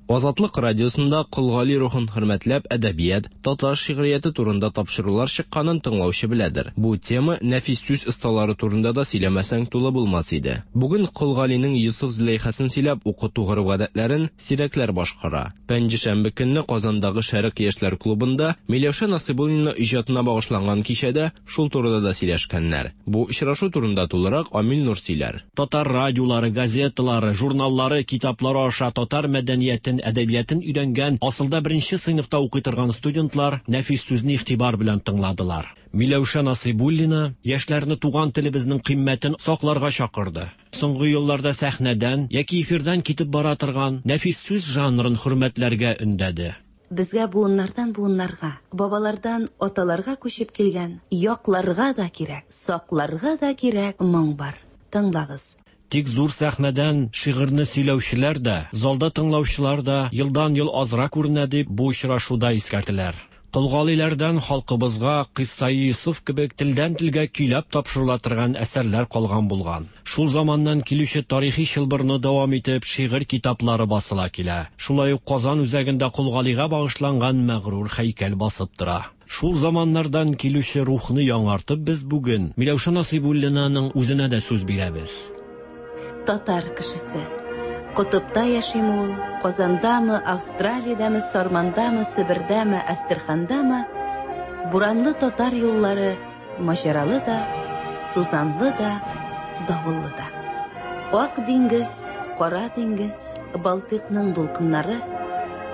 Азатлык радиосында Кол Гали рухын хөрмәтләп әдәбият, татар шигърияте турында тапшырулар чыкканын тыңлаучы беләдер. Бу тема нәфис сүз осталары турында да сөйләмәсәң тулы булмас иде. Бүген Кол Галинең Йосыф Зөләйхасын сөйләп укыту гореф-гадәтләрен сирәкләр башкара. Пәнҗешәмбе көнне Казандагы Шәрык яшьләр клубында Миләүшә Насыйбуллина иҗатына багышланган кичәдә шул турыда да сөйләшкәннәр. Бу очрашу турында тулырак Амил Нур сөйләр. Татар радиолары, газеталары, журналлары, китаплары аша татар мәдәниятен, әдәбиятын өйрәнгән, асылда беренче сыйныфта укый торган студентлар нәфис сүзне игътибар белән тыңладылар. Миләүшә Насыйбуллина яшьләрне туган телебезнең кыйммәтен сакларга чакырды. Соңгы елларда сәхнәдән яки эфирдан китеп бара торган нәфис сүз жанрын хөрмәтләргә өндәде. Безгә буыннардан буыннарга, бабалардан аталарга күчеп килгән, якларга да кирәк, сакларга да кирәк моң бар. Тыңлагыз. Тик зур сәхнәдән шигырьне сөйләүчеләр дә, залда тыңлаучылар да елдан-ел азрак күренә дип бу очрашуда искәртеләр. Кол Галиләрдән халкыбызга Кыйссаи Йосыф кебек телдән телгә көйләп тапшырыла торган әсәрләр калган булган. Шул заманнан килүче тарихи чылбырны дәвам итеп шигырь китаплары басыла килә. Шулай ук Казан үзәгендә Кол Галигә багышланган мәгърур һәйкәл басып тора. Шул заманнардан килүче рухны яңартып без бүген Миләүшә Насыйбуллинаның үзенә дә сүз бирәбез. Татар кешесе. Котыпта яшиме ул, Казандамы, Австралиядәме, Сармандамы, Себердәме, Әстерхандамы, буранлы татар юллары маҗаралы да, тузанлы да, давыллы да. Ак диңгез, кара диңгез, Балтыйкның дулкыннары,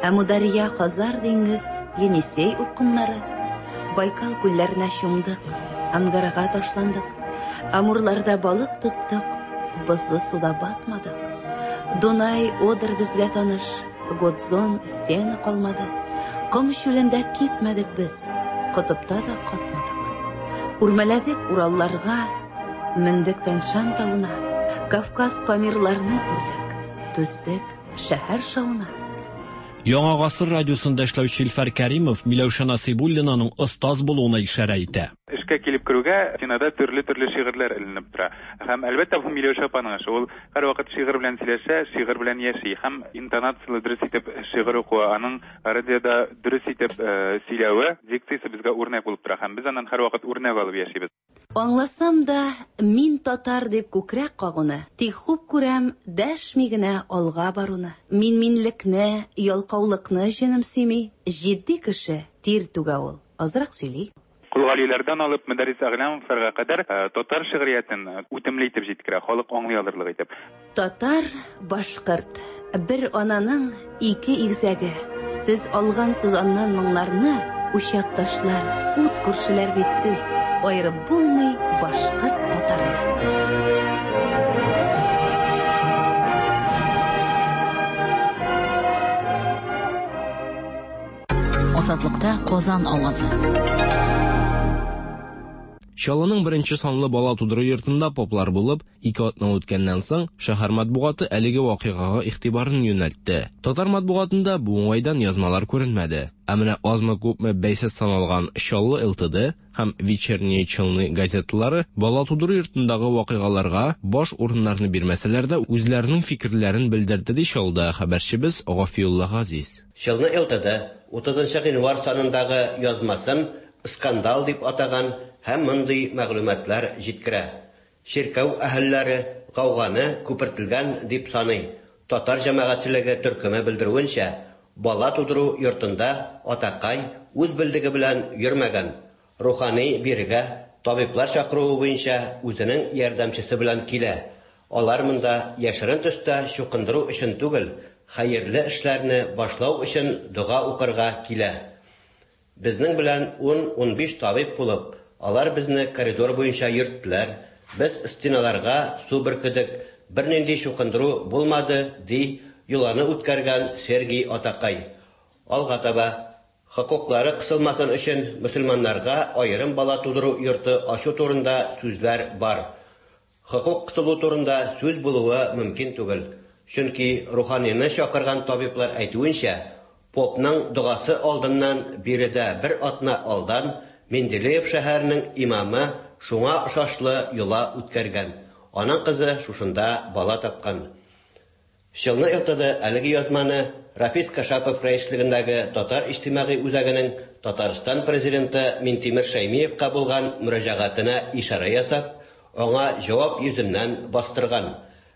Әмудария, Хазар диңгез, Енисей упкыннары, Байкал күлләренә чумдык, Ангарага ташландык, Амурларда балык тоттык, бозлы суда батмадык. Дунай, Одер безгә таныш, Годзон, Сена калмады. Ком чүлендә кипмәдек без, котыпта да катмадык. Үрмәләдек Уралларга, мендек Тянь-Шань тавына, Кавказ Памирларны күрдек, түздек шәһәр шавына. Яңа гасыр радиосында эшләүче Илфар Кәримов Миләүшә Насыйбуллинаның остаз булуына ишарә итә. Эшкә килеп керүгә стенада төрле-төрле шигырьләр эленеп тора. Һәм әлбәттә бу Миләүшә апаның эше. Ул һәрвакыт шигырь белән сөйләшә, шигырь белән яши. Һәм интонацияле дөрес итеп шигырь укуы, аның радиода дөрес итеп сөйләве, дикциясе безгә үрнәк булып тора. Һәм без аннан һәрвакыт үрнәк алып яшибез. Аңласам да, мин татар дип күкрәк кагуны, тик хуп күрәм дәшми генә алга баруны. Мин минлекне, ялкаулыкны җенем сөйми, җитди кеше тир түгә ул, азрак сөйли. Кол Галиләрдән алып Мөдәррис Әгъләмовларга кадәр татар шигъриятен үтемле итеп җиткерә, халык аңлый алырлык итеп. Татар, башкорт, бер ананың ике игезәге. Сез алгансыз аннан моңнарны, учакташлар, ут күршеләр бит сез, аерып булмый башкорт татарны. Азатлыкта Казан авазы. Чаллының беренче санлы бала тудыру йортында поплар булып, ике атна үткәннән соң, шәһәр матбугаты әлеге вакыйгага игътибарын юнәлтте. Татар матбугатында бу уңайдан язмалар күренмәде. Ә менә азмы-күпме бәйсез саналган Чаллы ЛТД һәм Вечерние Челны газеталары бала тудыру йортындагы вакыйгаларга баш урыннарны бирмәсәләр дә, үзләренең фикерләрен белдерде, ди Чаллыдагы хәбәрчебез Гафиулла Газиз. Челны ЛТД 30 гыйнвар санындагы язмасын скандал дип атаган һәм мондый мәгълүматлар җиткерә. Чиркәү әһелләре гауганы күпертелгән дип саный. Татар җәмәгатьчелеге төркеме белдерүенчә, бала тудыру йортында атакай үз белдеге белән йөрмәгән. Рухани бирегә табиблар чакыруы буенча үзенең ярдәмчесе белән килә. Алар монда яшерен төстә чукындыру өчен түгел, хәерле эшләрне башлау өчен дога укырга килә. Безнең белән 10-15 табиб булып, алар безне коридор буенча йөрттеләр. Без стеналарга су бөркедек, бернинди чукындыру булмады, ди йоланы үткәргән Сергий атакай. Алга таба, хокуклары кысылмасын өчен мөселманнарга аерым бала тудыру йорты ачу турында сүзләр бар. Хокук кысылу турында сүз булуы мөмкин түгел. Чөнки руханины чакырган табиблар әйтүенчә, попның догасы алдыннан биредә бер атна алдан Менделеев шәһәренең имамы шуңа охшашлы йола үткәргән. Аның кызы шушында бала тапкан. Челны ЛТД әлеге язманы Рафис Кашапов рәислегендәге Татар иҗтимагый үзәгенең Татарстан президенты Минтимер Шәймиевка булган мөрәҗәгатенә ишарә ясап, аңа җавап йөзеннән бастырган.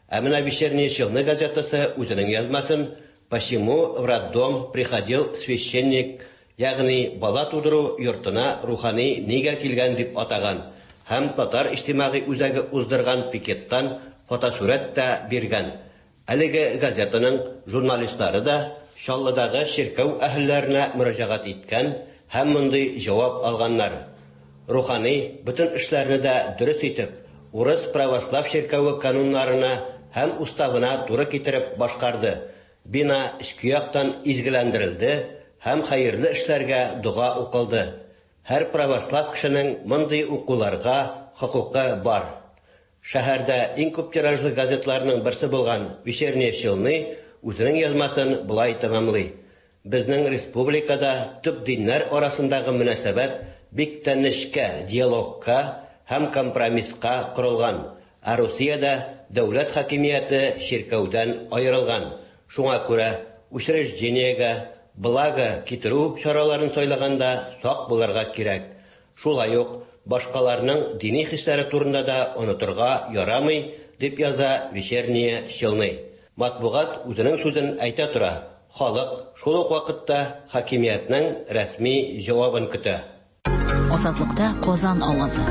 Ә менә Вечерние Челны газетасы үзенең язмасын Почему в роддом приходил священник, ягъни бала тудыру йортына рухани нигә килгән дип атаган һәм Татар иҗтимагый үзәге уздырган пикеттан фотосурәт тә биргән. Әлеге газетаның журналистлары да Чаллыдагы чиркәү әһелләренә мөрәҗәгать иткән һәм мондый җавап алганнар. Рухани бөтен эшләрне дә дөрес итеп, урыс православ чиркәве кануннарына һәм уставына туры китереп башкарды. Бина эчке яктан изгеләндерелде һәм хәерле эшләргә дога укылды. Һәр православ кешенең мондый укуларга хокукы бар. Шәһәрдә иң күп тиражлы газетларның берсе булган Вечерние Челны үзенең язмасын болай тәмамлый. Безнең республикада төп диннәр арасындагы мөнәсәбәт бик тә нечкә диалогка һәм компромисска корылган, ә Русиядә дәүләт хакимияте чиркәүдән аерылган. Шуңа күрә учреждениегә благо китерү чараларын сайлаганда сак булырга кирәк. Шулай ук башкаларның дини хисләре турында да онытырга ярамый, дип яза Вечерние Челны. Матбугат үзенең сүзен әйтә тора, халык шул ук вакытта хакимиятнең рәсми җавабын көтә. Азатлыкта Казан авазы.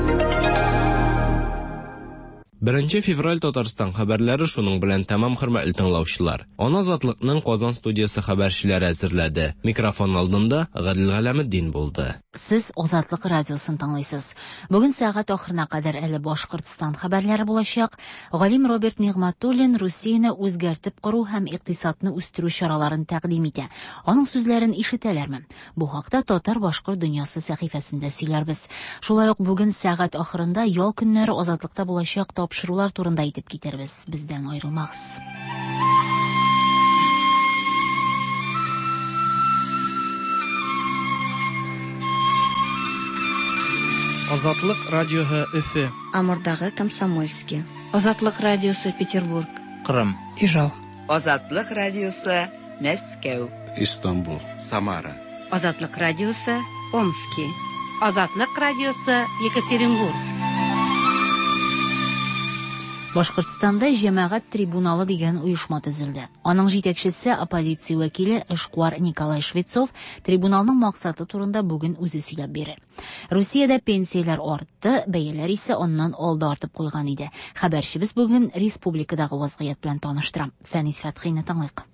1 февраль Татарстан хәбәрләре шуның белән тәмам, хөрмәтле тыңлаучылар. Аны Азатлыкның Казан студиясе хәбәрчеләре әзерләде. Микрофон алдында Гадел Галәметдин булды. Сез Азатлык радиосын тыңлыйсыз. Бүген сәгать ахырына кадәр әле Башкортстан хәбәрләре булачак. Галим Роберт Нигъмәтуллин Русияне үзгәртеп кору һәм икътисадны үстерү чараларын тәкъдим итә. Аның сүзләрен ишетәләрме? Бу хакта Татар-башкорт дөньясы сәхифәсендә сөйләрбез. Шулай ук бүген сәгать ахырында ял көннәре Азатлыкта булачак тапшырулар турында әйтеп китербез. Бездән аерылмагыз. Азатлык радиоһы Өфе. Амурдагы Комсомольский. Азатлык радиосы Петербург. Кырым. Ижау. Азатлык радиосы Мәскәү. Истанбул. Самара. Азатлык радиосы Омски. Азатлык радиосы Екатеринбург. Башкортстанда җәмәгать трибуналы дигән оешма төзелде. Аның җитәкчесе оппозиция вәкиле эшкуар Николай Швецов трибуналның максаты турында бүген үзе сөйләп бирер. Русиядә пенсияләр артты, бәяләр исә аннан алда артып куйган иде. Хәбәрчебез бүген республикадагы вазгыять белән таныштыра. Фәнис Фәтхине тыңлыйк.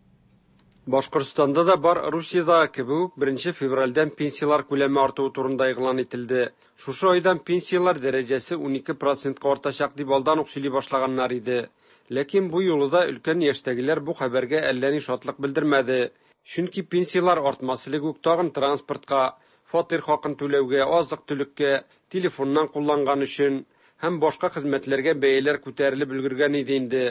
Башкортстанда да бар Русиядәге кебек үк 1 февральдән пенсияләр күләме артуы турында игълан ителде. Шушы айдан пенсияләр дәрәҗәсе 12%ка артачак дип алдан ук сөйли башлаганнар иде. Ләкин бу юлы да өлкән яшьтәгеләр бу хәбәргә әллә ни шатлык белдермәде. Чөнки пенсияләр артмас элек үк тагын транспортка, фатир хакын түләүгә, азык-төлеккә, телефоннан кулланган өчен һәм башка хезмәтләргә бәяләр күтәрелеп өлгергән иде инде.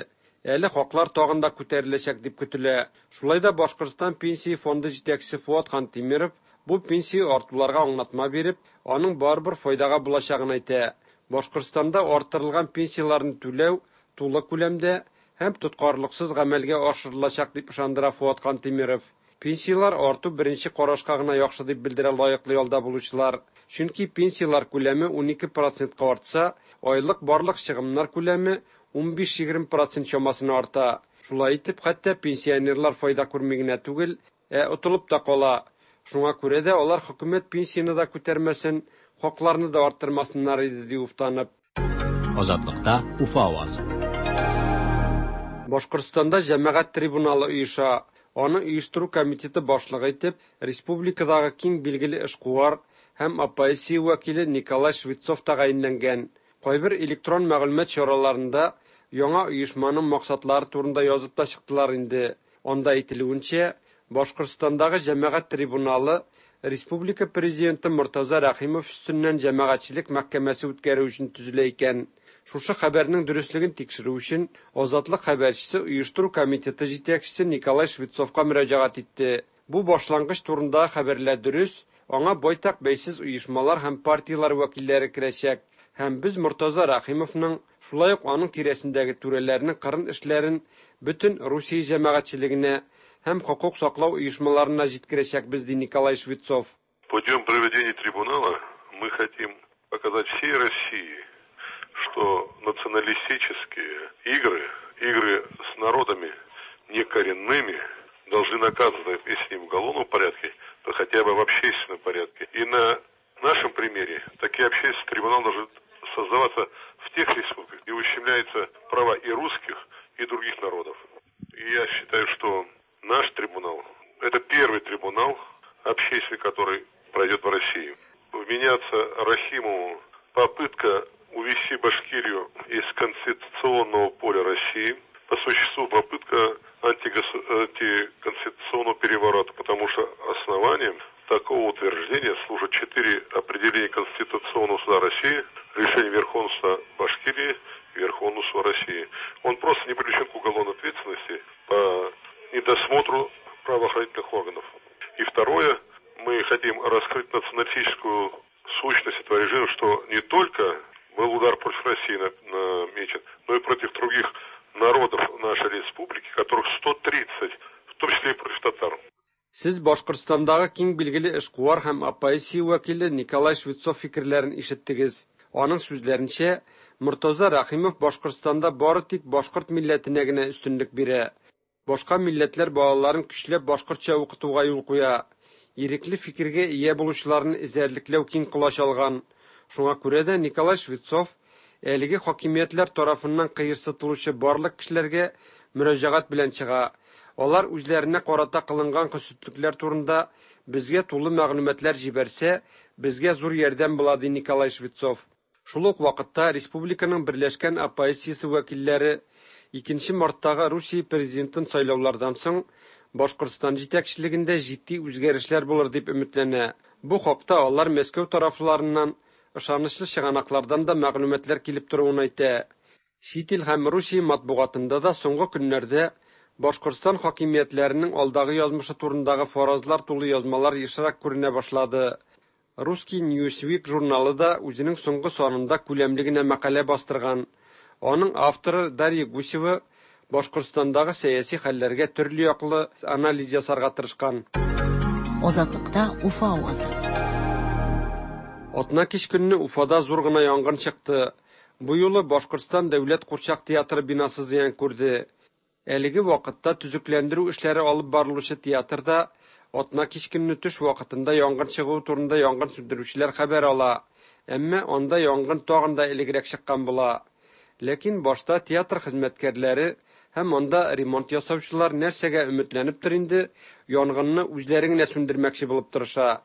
Әле хаклар тагын да күтәреләчәк дип көтелә. Шулай да Башкортстан Пенсия фонды җитәкчесе Фоат Хантимиров бу пенсия артуларга аңлатма биреп, аның барыбер файдага булачагын әйтә. Башкортстанда арттырылган пенсияләрне түләү тулы күләмдә һәм тоткарлыксыз гамәлгә ашырылачак, дип ышандыра Фоат Хантимиров. Пенсияләр арту беренче карашка гына яхшы дип белдерә лаеклы ялда булучылар. Чөнки пенсияләр күләме 12 процентка артса, айлык барлык чыгымнар күләме 15-20 процент чамасына арта. Шулай итеп, хәтта пенсионерлар файда күрми генә түгел, ә отылып та кала. Шуңа күрә дә алар хөкүмәт пенсияне дә күтәрмәсен, хакларны да арттырмасыннар иде, ди уфтанып. Азатлыкта Уфа авазы. Башкортстанда җәмәгать трибуналы оеша. Аны оештыру комитеты башлыгы итеп республикадагы киң билгеле эшкуар һәм оппозиция вәкиле Николай Швецов тәгаенләнгән. Кайбер электрон мәгълүмат чараларында яңа оешманың максатлары турында язып та чыктылар инде. Анда әйтелүенчә, Башкортстандагы җәмәгать трибуналы республика президенты Мортаза Рәхимов өстеннән җәмәгатьчелек мәхкәмәсе үткәрү өчен төзелә икән. Шушы хәбәрнең дөреслеген тикшерү өчен Азатлык хәбәрчесе оештыру комитеты җитәкчесе Николай Швецовка мөрәҗәгать итте. Бу башлангыч турындагы хәбәрләр дөрес, аңа байтак бәйсез оешмалар һәм партияләр вәкилләре керәчәк. Һәм без Мортаза Рәхимовның, шулай ук аның тирәсендәге түрәләрнең кырын эшләрен бөтен Русия җәмәгатьчелегенә һәм хокук саклау оешмаларына җиткерәчәкбез, ди Николай Швецов. Путем проведения трибунала мы хотим показать всей России, что националистические игры, игры с народами некоренными, должны наказываться, если не в уголовном порядке, то хотя бы в общественном порядке. И на нашем примере такие общественные трибуналы должны создаваться в тех республиках, где ущемляются права и русских, и других народов. И я считаю, что наш трибунал – это первый трибунал общественный, который пройдет в России. Вменяться Рахимову попытка увести Башкирию из конституционного поля России, по существу попытка антиконституционного переворота, потому что основанием такого утверждения служат 4 определения Конституционного суда России, решение Верховного суда Башкирии и Верховного суда России. Он просто не привлечен к уголовной ответственности по недосмотру правоохранительных органов. И второе, мы хотим раскрыть националистическую сущность этого режима, что не только был удар против России намечен, но и против других народов нашей республики, которых 130, в том числе и против татар. Сез Башкортстандагы киң билгеле эшкуар һәм оппозиция вәкиле Николай Швецов фикерләрен ишеттегез. Аның сүзләренчә, Мортаза Рәхимов Башкортстанда бары тик башкорт милләтенә генә өстенлек бирә. Башка милләтләр балаларын көчләп башкортча укытуга юл куя. Ирекле фикергә ия булучыларны эзәрлекләү киң колач алган. Шуңа күрә дә Николай Швецов әлеге хакимиятләр тарафыннан кыерсытылучы барлык кешеләргә мөрәҗәгать белән чыга. Алар үзләренә карата кылынган хөсетлекләр турында безгә тулы мәгълүматлар җибәрсә, безгә зур ярдәм була, ди Николай Швецов. Шул ук вакытта республиканың берләшкән оппозициясе вәкилләре 2 марттагы Русия президентын сайлаулардан соң Башкортстан җитәкчелегендә җитди үзгәрешләр булыр дип өметләнә. Бу хакта алар Мәскәү тарафларыннан ышанычлы чыганаклардан да мәгълүматлар килеп торуын әйтә. Чит ил һәм Русия матбугатында да соңгы көннәрдә Башкортстан хакимиятләренең алдагы язмышы турындагы фаразлар тулы язмалар ешрак күренә башлады. Русский Newsweek журналы да үзенең соңгы санында күләмле генә мәкалә бастырган. Аның авторы Дарья Гусева Башкортстандагы сәяси хәлләргә төрле яклы анализ ясарга тырышкан. Азатлыкта Уфа авазы. Атна кич көнне Уфада зур гына янгын чыкты. Бу юлы Башкортстан дәүләт курчак театры бинасы зыян күрде. Әлеге вакытта төзекләндерү эшләре алып барылучы театрда атна кич көнне төш вакытында янгын чыгуы турында янгын сүндерүчеләр хәбәр ала. Әмма анда янгын тагын да элегрәк чыккан була. Ләкин башта театр хезмәткәрләре һәм анда ремонт ясаучылар нәрсәгә өметләнептер инде, янгынны үзләре генә сүндермәкче булып тырыша.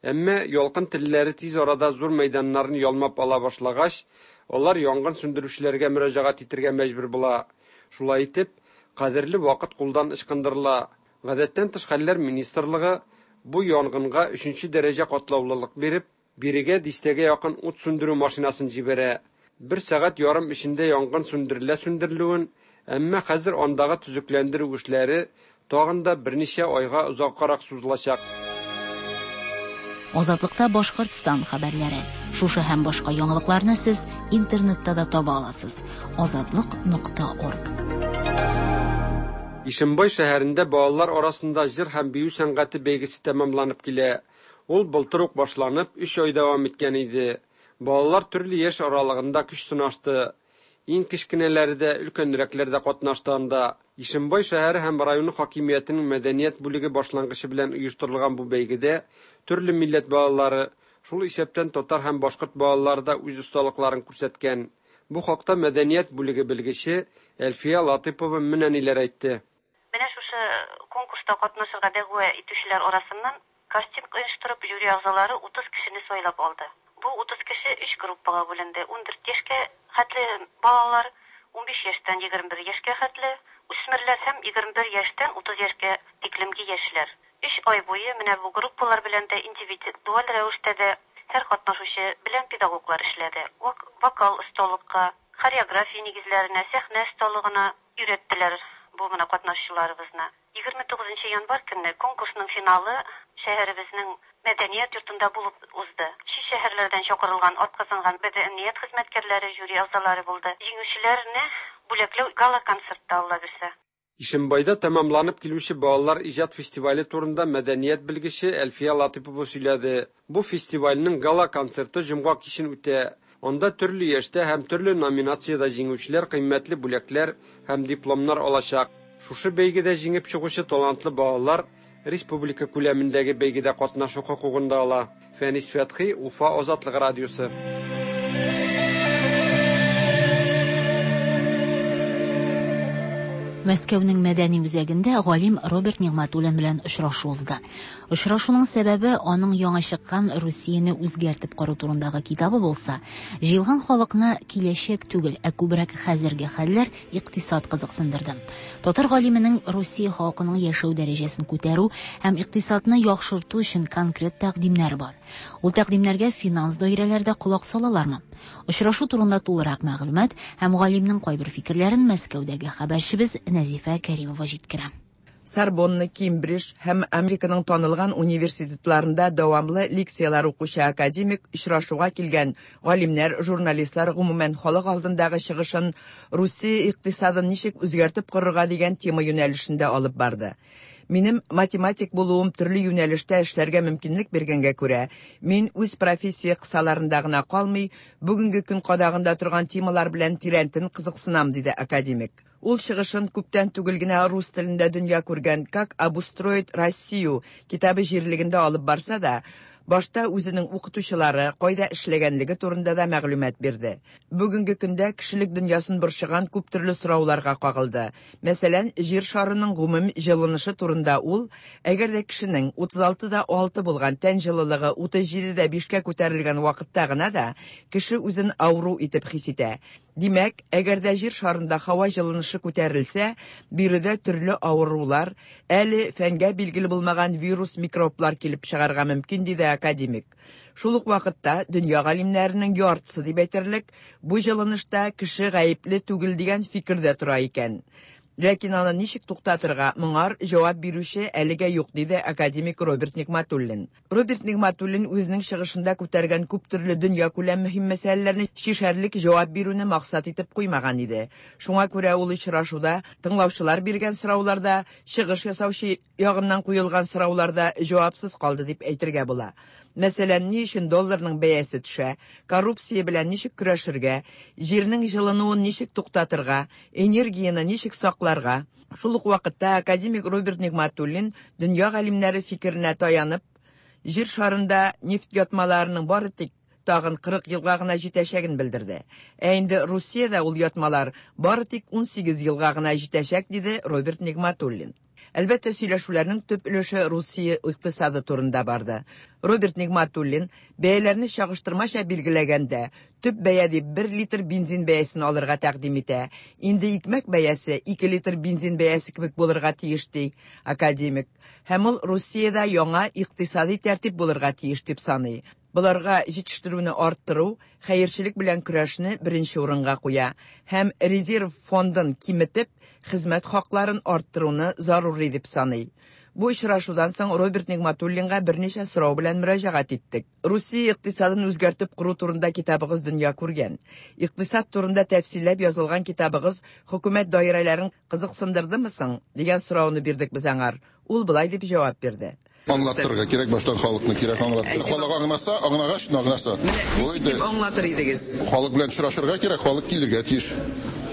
Әмма ялкын телләре тиз арада зур мәйданнарны ялмап ала башлагач, алар янгын сүндерүчеләргә мөрәҗәгать итәргә мәҗбүр була. Шулай итеп, кадерле вакыт кулдан ычкындырыла. Гадәттән тыш хәлләр министрлыгы бу янгынга өченче дәрәҗә катлаулылык биреп, бирегә дистәгә якын ут сүндерү машинасын җибәрә. Бер сәгать ярым эчендә янгын сүндерелә сүндерелүен, әмма хәзер андагы төзекләндерү эшләре тагын да берничә айга озаккарак сузылачак. Азатлыкта Башкортстан хәбәрләре. Шушы һәм башка яңалыкларны сез интернетта да таба аласыз. Азатлык нокта орг. Ишембай шәһәрендә балалар арасында җыр һәм бию сәнгате бәйгесе тәмамланып килә. Ул былтыр ук башланып, өч ай дәвам иткән иде. Балалар төрле яшь аралыгында көч сынашты. Иң кечкенәләре дә, өлкәнрәкләр дә катнашты анда. Ишембай шәһәре һәм районы хакимиятенең мәдәният бүлеге башлангычы белән оештырылган бу бәйгедә төрле милләт балалары, шул исәптән татар һәм башкорт балалары да үз осталыкларын күрсәткән. Бу хакта мәдәният бүлеге белгече Әлфия Латыйпова менә ниләр әйтте. Менә шушы конкурста катнашырга дәгъва итүчеләр арасыннан кастинг оештырып, жюри әгъзалары 30 кешене сайлап алды. Бу 30 кеше өч группага бүленде, 14 яшькә хәтле балалар, 15 яшьтән 21 яшькә хәтле үсмерләр һәм 21 яшьтән 30 яшькә тиклемге яшьләр. Өч ай буе менә бу группалар белән дә, индивидуаль рәвештә дә һәр катнашучы белән педагоглар эшләде. Вокал осталыкка, хореография нигезләренә, сәхнә осталыгына өйрәттеләр бу менә катнашучыларыбызны. 29 нчы январь көнне конкурсның финалы шәһәребезнең Мәдәният йортында булып узды. Чит шәһәрләрдән чакырылган атказанган мәдәният хезмәткәрләре, жюри әгъзалары булды. Җиңүчеләрне бүләкләү гала-концертта, Алла бирсә. Ишембайда тәмамланып килүче балалар иҗат фестивале турында мәдәният белгече Әлфия Латыйпова сөйләде. Бу фестивальнең гала-концерты җомга кичен үтә. Анда төрле яшьтә һәм төрле номинациядә җиңүчеләр кыйммәтле бүләкләр һәм дипломнар алачак. Шушы бәйгедә җиңеп чыгучы талантлы балалар республика күләмендәге бәйгедә катнашу хокукын да ала. Фәнис Фәтхи, Уфа Азатлык радиосы. Мәскәүнең мәдәни үзәгендә галим Роберт Нигъмәтуллин белән очрашу узды. Очрашуның сәбәбе аның яңа чыккан Русияне үзгәртеп кору турындагы китабы булса, җыелган халыкны киләчәк түгел, ә күбрәк хәзерге хәлләр, икътисад кызыксындырды. Татар галименең Русия халкының яшәү дәрәҗәсен күтәрү һәм икътисадны яхшырту өчен конкрет тәкъдимнәре бар. Ул тәкъдимнәргә финанс даирәләре дә колак салалармы? Очрашу турында тулырак мәгълүмат һәм галимнең кайбер фикерләрен Мәскәүдәге хәбәрчебез Нәзифә Кәримова җиткерә. Сорбонна, Кембридж һәм Американың танылган университетларында дәвамлы лекцияләр укучы академик очрашуга килгән галимнәр, журналистлар, гомумән, халык алдындагы чыгышын Русия икътисадын ничек үзгәртеп корырга дигән тема юнәлешендә алып барды. Минем математик булуым төрле юнәлештә эшләргә мөмкинлек биргәнгә күрә, мин үз профессия кысаларында гына калмый, бүгенге көн кадагында торган темалар белән тирәнтен кызыксынам, диде академик. Ул чыгышын күптән түгел генә рус телендә дөнья күргән Как обустроить Россию китабы җирлегендә алып барса да, башта үзенең укытучылары, кайда эшләгәнлеге турында да мәгълүмат бирде. Бүгенге көндә кешелек дөньясын борчыган күп төрле сорауларга кагылды. Мәсәлән, Җир шарының гомум җылынышы турында ул, әгәр дә кешенең 36 да 6 булган тән җылылыгы 37 дә 5 кә күтәрелгән вакытта гына да кеше үзен авыру итеп хис итә. Димәк, әгәр дә Җир шарында һава җылынышы күтәрелсә, биредә төрле авырулар, әле фәнгә билгеле булмаган вирус-микроблар килеп чыгарга мөмкин, диде академик. Шул ук вакытта дөнья галимнәренең яртысы дип әйтерлек, бу җылынышта кеше гаепле түгел дигән фикердә тора икән. Ләкин аны ничек туктатырга, моңар җавап бирүче әлегә юк, диде академик Роберт Нигъмәтуллин. Роберт Нигъмәтуллин үзенең чыгышында күтәргән күп төрле дөньякүләм мөһим мәсьәләләрне чишәрлек җавап бирүне максат итеп куймаган иде. Шуңа күрә ул очрашуда тыңлаучылар биргән сораулар да, чыгыш ясаучы ягыннан куелган сораулар да җавапсыз калды дип әйтергә була. Мәсәлән, ни өчен долларның бәясе төшә, коррупция белән ничек көрәшергә, җирнең җылынуын ничек туктатырга, энергияне ничек сакларга. Шул ук вакытта академик Роберт Нигъмәтуллин дөнья галимнәре фикеренә таянып, Җир шарында нефть ятмаларының бары тик тагын 40 елга гына җитәчәген белдерде. Ә инде Русиядә ул ятмалар бары тик 18 елга гына җитәчәк, диде Роберт Нигъмәтуллин. Әлбәттә, сөйләшүләрнең төп өлеше Русия икътисады турында барды. Роберт Нигматуллин бәяләрне чагыштырмача билгеләгәндә, төп бәя дип 1 литр бензин бәясен алырга тәкъдим итә. Инде икмәк бәясе 2 литр бензин бәясе кебек булырга тиеш ди академик. Һәм ул Русиядә яңа икътисади тәртип булырга тиеш дип саный. Боларга җитештерүне арттыру, хәерчелек белән көрәшне беренче урынга куя һәм резерв фондын киметеп, хезмәт хакларын арттыруны зарури дип саный. Бу очрашудан соң Роберт Нигматуллинга берничә сорау белән мөрәҗәгать иттек. Русия икътисадын үзгәртеп кору турында китабыгыз дөнья күргән. Икътисад турында тәфсилләп язылган китабыгыз хөкүмәт даирәләрен кызыксындырдымы соң? дигән сорауны бирдек без аңар. Ул болай дип җавап бирде. Аңлаттырырга кирәк, баштан халыкны кирәк аңлаттырырга. Халык аңласа, аңлагач, аңласа. Ничек дип аңлатыр идегез? Халык белән очрашырга кирәк, халык килергә тиеш.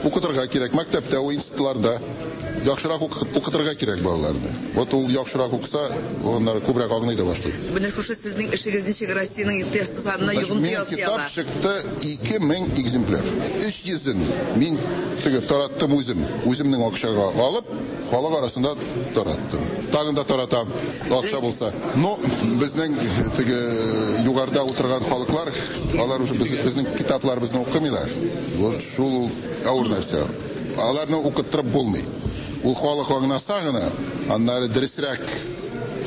Укытырга кирәк, мәктәптә, институтларда. Яхшырак укытырга кирәк балаларны. Вот ул яхшырак укыса, аннары күбрәк аңлый да башлый. Менә шушы сезнең эшегез ничек Россиянең икътисадына йогынты ясый ала? Китап чыкты 2000 экземпляр. 300-ен мин теге тараттым үзем, үземнең акчага алып, халык арасында тараттым. Тагын да таратам, акча булса. Но безнең теге югарыда утырган халыклар, алар уже безнең китапларыбызны укымыйлар. Вот шул авыр нәрсә. Аларны укыттырып булмый. Ул халык аңласа гына, аннары дөресрәк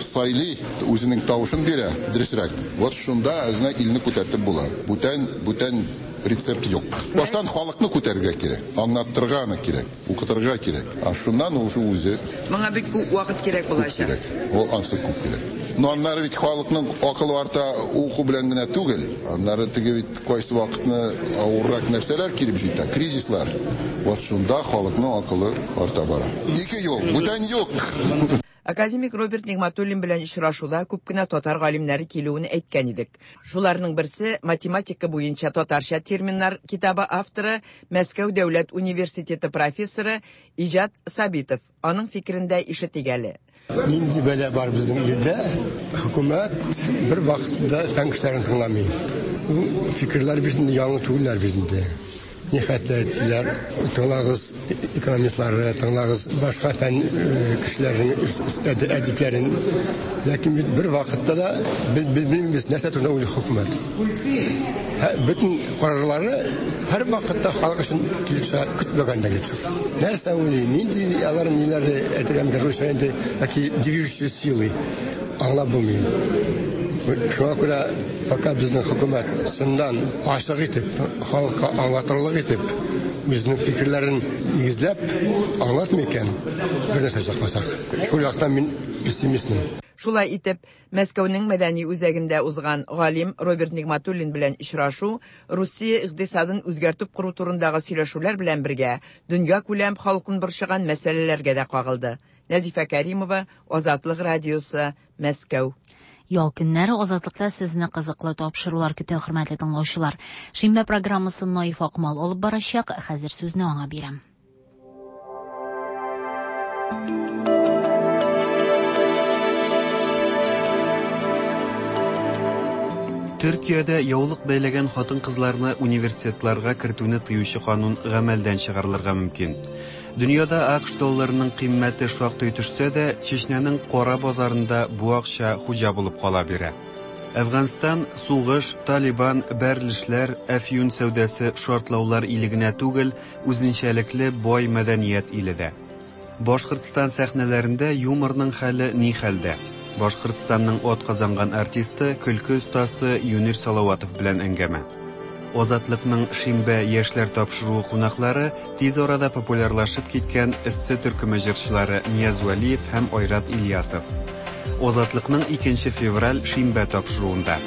сайлый, үзенең тавышын бирә, дөресрәк. Вот шунда үзенә илне күтәртеп була. Бүтән, бүтән рецепт юк. Баштан халыкны күтәрергә кирәк, аңлаттырырга аны кирәк, укытырга кирәк. А шуннан уже үзе. Моңа бик күп вакыт кирәк булачак. Күп кирәк. Ул ансы күп кирәк. Но аннары бит халыкның акылы арта уку белән генә түгел. Аннары теге бит кайсы вакытны авыррак нәрсәләр килеп җитә, кризислар. Вот шунда халыкның акылы арта бара. Ике юл, бүтән юк. Академик Роберт Нигматуллин белән очрашуда күп кенә татар галимнәре килүен әйткән идек. Шуларның берсе математика буенча татарча терминнар китабы авторы, Мәскәү дәүләт университеты профессоры Иҗат Сабитов. Аның фикерен дә ишетик әле. Нинди бәла бар безнең илдә? Хөкүмәт бер вакытта фән кешеләрен тыңламый. Ул фикерләр бит инде яңа түгелләр бит инде. Ни хәтле әйттеләр, тыңлагыз экономистлары, тыңлагыз башка фән кешеләренең әдипләрен. Ләкин бит бер вакытта да белмибез, нәрсә турында уйлый хөкүмәт. Бөтен карарлары һәр вакытта халык өчен килеп чыга, көтмәгәндә килеп чыга. Нәрсә уйлый, нинди алар ниләре әйтергә мөмкин, русча инде такие движущие силы аңлап булмый. Шуңа күрә пока безнең хөкүмәт чыннан ачык итеп, халыкка аңлатырлык итеп, үзенең фикерләрен нигезләп аңлатмый икән, бер нәрсә чыкмасак. Шул яктан мин пессимистмын. Шулай итеп, Мәскәүнең мәдәни үзәгендә узган галим Роберт Нигматуллин белән очрашу Русия икътисадын үзгәртеп кору турындагы сөйләшүләр белән бергә дөньякүләм халкын борчыган мәсьәләләргә дә кагылды. Нәзифә Кәримова, Азатлык радиосы, Мәскәү. Ял көннәре Азатлыкта сезне кызыклы тапшырулар көтә, хөрмәтле тыңлаучылар. Шимбә программасын Наиф Акмал алып барачак. Хәзер сүзне аңа бирәм. Төркиядә яулык бәйләгән хатын-кызларны университетларга кертүне тыючы канун гамәлдән чыгарылырга мөмкин. Дөньяда АКШ долларының кыйммәте шактый төшсә дә, Чечнянең кара базарында бу акча хуҗа булып кала бирә. Әфганстан, сугыш, Талибан, бәрелешләр, әфьюн сәүдәсе, шартлаулар иле генә түгел, үзенчәлекле бай мәдәният иле дә. Башкортстан сәхнәләрендә юморның хәле ни хәлдә? Башкортстанның атказанган артисты, көлке остасы Юнир Салаватов белән әңгәмә. Азатлыкның Шимбә яшьләр тапшыруы кунаклары тиз арада популярлашып киткән Эссе төркеме җырчылары Нияз Вәлиев һәм Айрат Ильясов. Азатлыкның 2 февраль Шимбә тапшыруында.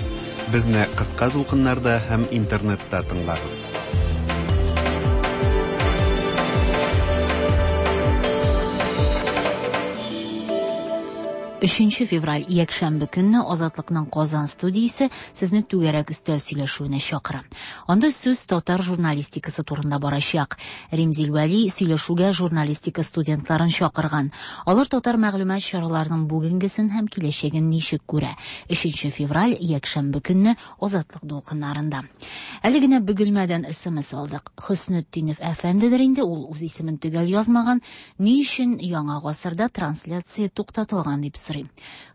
Безне кыска дулкыннарда һәм интернетта тыңлагыз. Өченче февраль, якшәмбе көнне Азатлыкның Казан студиясе сезне түгәрәк өстәл сөйләшүенә чакыра. Анда сүз татар журналистикасы турында барачак. Римзил Вәли сөйләшүгә журналистика студентларын чакырган. Алар татар мәгълүмат чараларының бүгенгесен һәм киләчәген ничек күрә. Өченче февраль, якшәмбе көнне Азатлык дулкыннарында. Әле генә Бөгелмәдән смс алдык. Хөснетдинов әфәндедер инде, ул үз исемен төгәл язмаган. Ни өчен Яңа гасырда трансляция туктатылган дип сорый.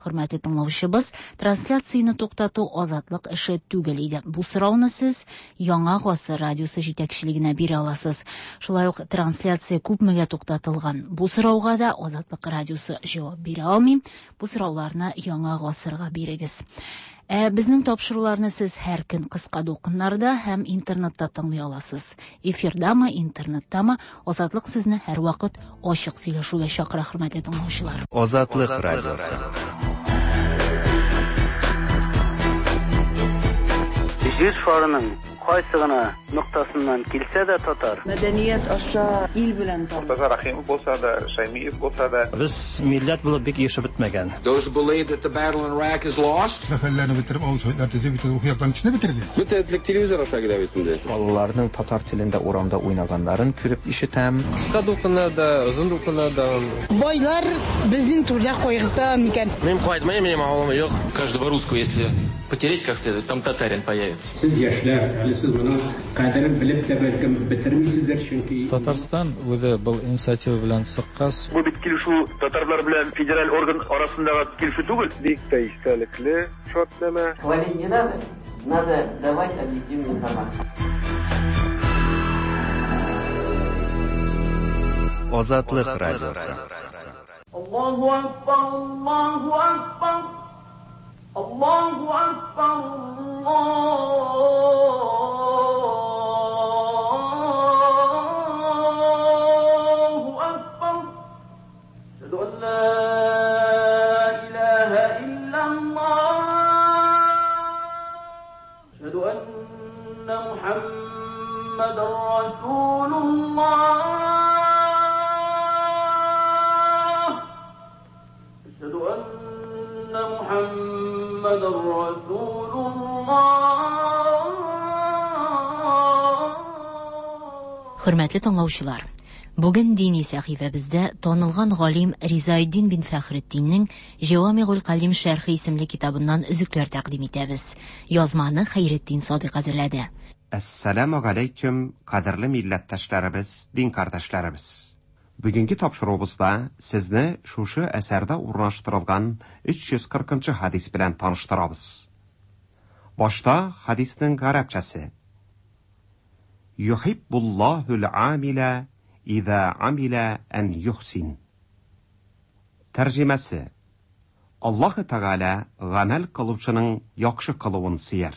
Хөрмәтле тыңлаучыбыз, трансляцияне туктату Азатлык эше түгел иде. Бу сорауны сез Яңа гасыр радиосы җитәкчелегенә бирә аласыз. Шулай ук трансляция күпмегә туктатылган? Бу сорауга да Азатлык радиосы җавап бирә алмый. Бу сорауларны Яңа гасырга бирегез. Ә безнең тапшыруларны сез һәр көн кыска дулкыннарда һәм интернетта тыңлый аласыз. Эфирдамы, интернеттамы, Азатлык сезне һәрвакыт ачык сөйләшүгә чакыра, хөрмәтле тыңлаучылар. Азатлык радиосы. Җир шарының кайсы гына ноктасыннан килсә дә татар. Мәдәният аша ил белән таныш. Мортаза Рәхимов булса да, Шәймиев булса да. Без милләт булып бик ирешеп бетмәгән. Those who believe that the battle in Iraq is lost. Сәфәрләрне бетереп, авыл советлар төзеп, бөтен рухи яктан кешене бетерде. Бөтен этлек телевизор аша килә бит инде. Балаларның татар телендә урамда уйнаганнарын күреп ишетәм. Кыска дулкыннар да, озын дулкыннар да. Байлар безнең турыда кайгырта микән? Мин кайтмыйм, минем авылым юк. Каждого русского, если потереть как следует, там татарин появится. Сез яшьләр, әле сез моның кадерен белеп тә бәлкем бетермисездер, чөнки Татарстан үзе был инициатива белән чыккач. Бу бит килешү татарлар белән федераль орган арасындагы килешү түгел. Бик тә истәлекле шартнамә. Хвалить не надо, надо давать объективную информацию. Азатлык радиосы. Аллаһу акбар, Аллаһу акбар. Аллаһу акбар, Аллаһу акбар. Әшһәду ан ла илаһа иллаллаһ. Әшһәду анна Мухаммадан расулуллаһ. Әшһәду анна Мухаммадан расулуллаһ. Хөрмәтле тыңлаучылар, бүген дини сәхифәбездә танылган галим Ризаэддин бин Фәхретдиннең Җәвамигуль Калим шәрхе исемле китабыннан өзекләр тәкъдим итәбез. Язманы Хәйретдин Садыйк әзерләде. Әссәламү галәйкүм, кадерле милләттәшләребез, дин кардәшләребез! Бүгенге тапшыруыбызда сезне шушы әсәрдә урнаштырылган 340 нчы хәдис белән таныштырабыз. Башта хәдиснең гарәпчәсе. Юхиббуллаһул амилә иза амилә ән юхсин. Тәрҗемәсе. Аллаһы Тәгалә гамәл кылучының яхшы кылуын сөяр.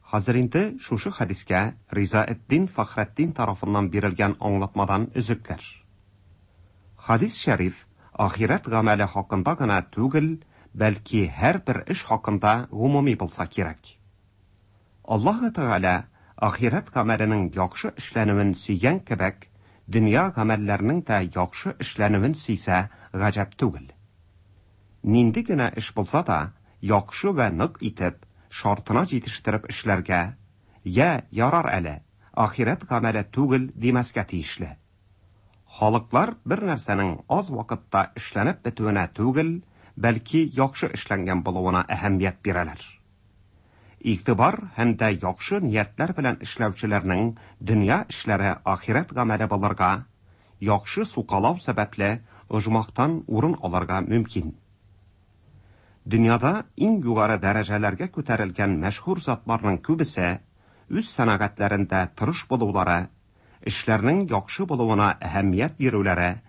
Хәзер инде шушы хәдискә Ризаэтдин Фәхретдин тарафыннан бирелгән аңлатмадан өзекләр. Хәдис шәриф ахирәт гамәле хакында гына түгел, бәлки һәрбер эш хакында гомуми булса кирәк. Аллаһы Тәгалә ахирәт гамәленең яхшы эшләнүен сөйгән кебек, дөнья гамәлләренең дә яхшы эшләнүен сөйсә, гаҗәп түгел. Нинди генә эш булса да, яхшы вә нык итеп, шартына җитештереп эшләргә, йә, ярар әле, ахирәт гамәле түгел димәскә тиешле. Халыклар бер нәрсәнең аз вакытта эшләнеп бетүенә түгел, бәлки яхшы эшләнгән булуына әһәмият бирәләр. Игътибар һәм дә яхшы ниятләр белән эшләүчеләрнең дөнья эшләре ахирәт гамәле булырга, яхшы сукалау сәбәпле оҗмахтан урын алырга мөмкин. Дөньяда иң югары дәрәҗәләргә күтәрелгән мәшһүр затларның күбесе үз сәнәгатьләрендә тырыш булулары, эшләрнең яхшы булуына әһәмият бирүләре,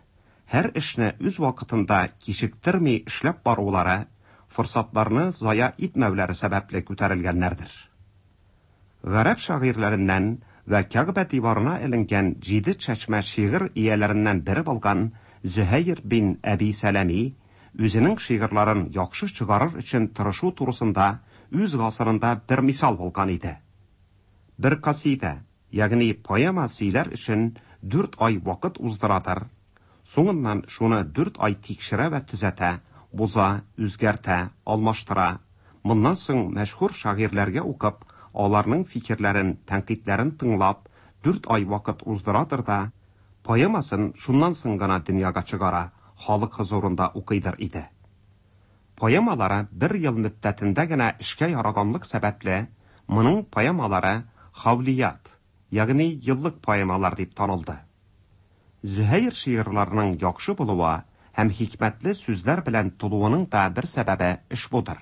һәр эшне үз вакытында кичектерми эшләп барулары, форсатларны зая итмәүләре сәбәпле күтәрелгәннәрдер. Гарәп шагыйрьләреннән вә Кәгъбә диварына эленгән җиде чәчмә шигырь ияләреннән бере булган Зөһәер бин Әби Сәләми үзенең шигырьләрен яхшы чыгарыр өчен тырышу турысында үз гасырында бер мисал булган иде. Бер касидә, ягъни поэма сөйләр өчен дүрт ай вакыт уздырадыр, соңыннан шуны дүрт ай тикшерә вә төзәтә, боза, үзгәртә, алмаштыра, моннан соң мәшһүр шагыйрьләргә укып, аларның фикерләрен, тәнкыйтьләрен тыңлап, дүрт ай вакыт уздырадыр да, поэмасын шуннан соң гына дөньяга чыгара, халык хозурында укыйдыр иде. Поэмалары бер ел мөддәтендә генә эшкә яраганлык сәбәпле, моның поэмалары хавлият, ягъни еллык поэмалар дип танылды. Зөһәйр шигырьләренең яхшы булуы һәм хикмәтле сүзләр белән тулуының да бер сәбәбе ошбудыр.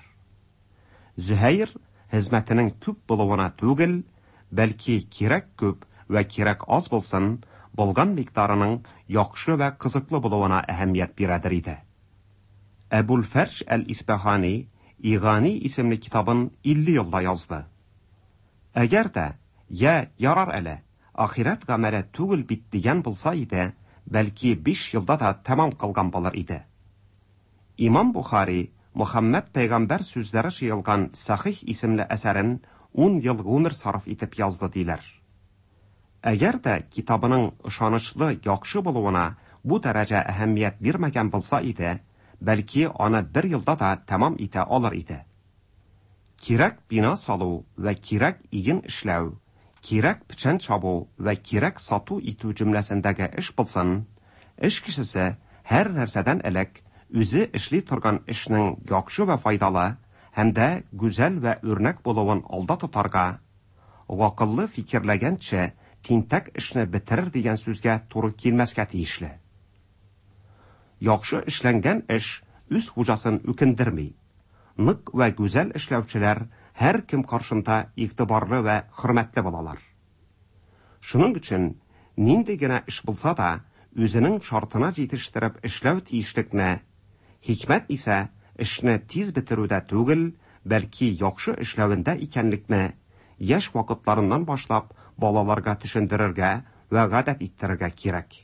Зөһәйр хезмәтенең күп булуына түгел, бәлки кирәк күп вә кирәк аз булсын, булган микъдарының яхшы вә кызыклы булуына әһәмият бирәдер иде. Әбул-Фәрҗ әл-Исбаһани Игани исемле китабын 50 елда язды. Әгәр дә, йә, ярар әле, ахирәт гамәле түгел бит дигән булса иде, бәлки биш елда да тәмам кылган булыр иде. Имам Бухари Мөхәммәд пәйгамбәр сүзләре җыелган Сахих исемле әсәрен ун ел гомер сарыф итеп язды диләр. Әгәр дә китабының ышанычлы, яхшы булуына бу дәрәҗә әһәмият бирмәгән булса иде, бәлки аны бер елда да тәмам итә алыр иде. Кирәк бина салу вә кирәк иген эшләү, кирәк печән чабу вә кирәк сату итү җөмләсендәге эш булсын, эш кешесе һәр нәрсәдән элек үзе эшли торган эшнең яхшы вә файдалы һәм дә гүзәл вә үрнәк булуын алда тотарга, гакыллы фикерләгәнче тинтәк эшне бетерер дигән сүзгә туры килмәскә тиешле. Яхшы эшләнгән эш үз хуҗасын үкендерми. Нык вә гүзәл эшләүчеләр һәркем каршында игътибарлы вә хөрмәтле булалар. Шуның өчен нинди генә эш булса да, үзенең шартына җитештереп эшләү тиешлекне, хикмәт исә эшне тиз бетерүдә түгел, бәлки яхшы эшләвендә икәнлекне яшь вакытларыннан башлап балаларга төшендерергә вә гадәт иттерергә кирәк.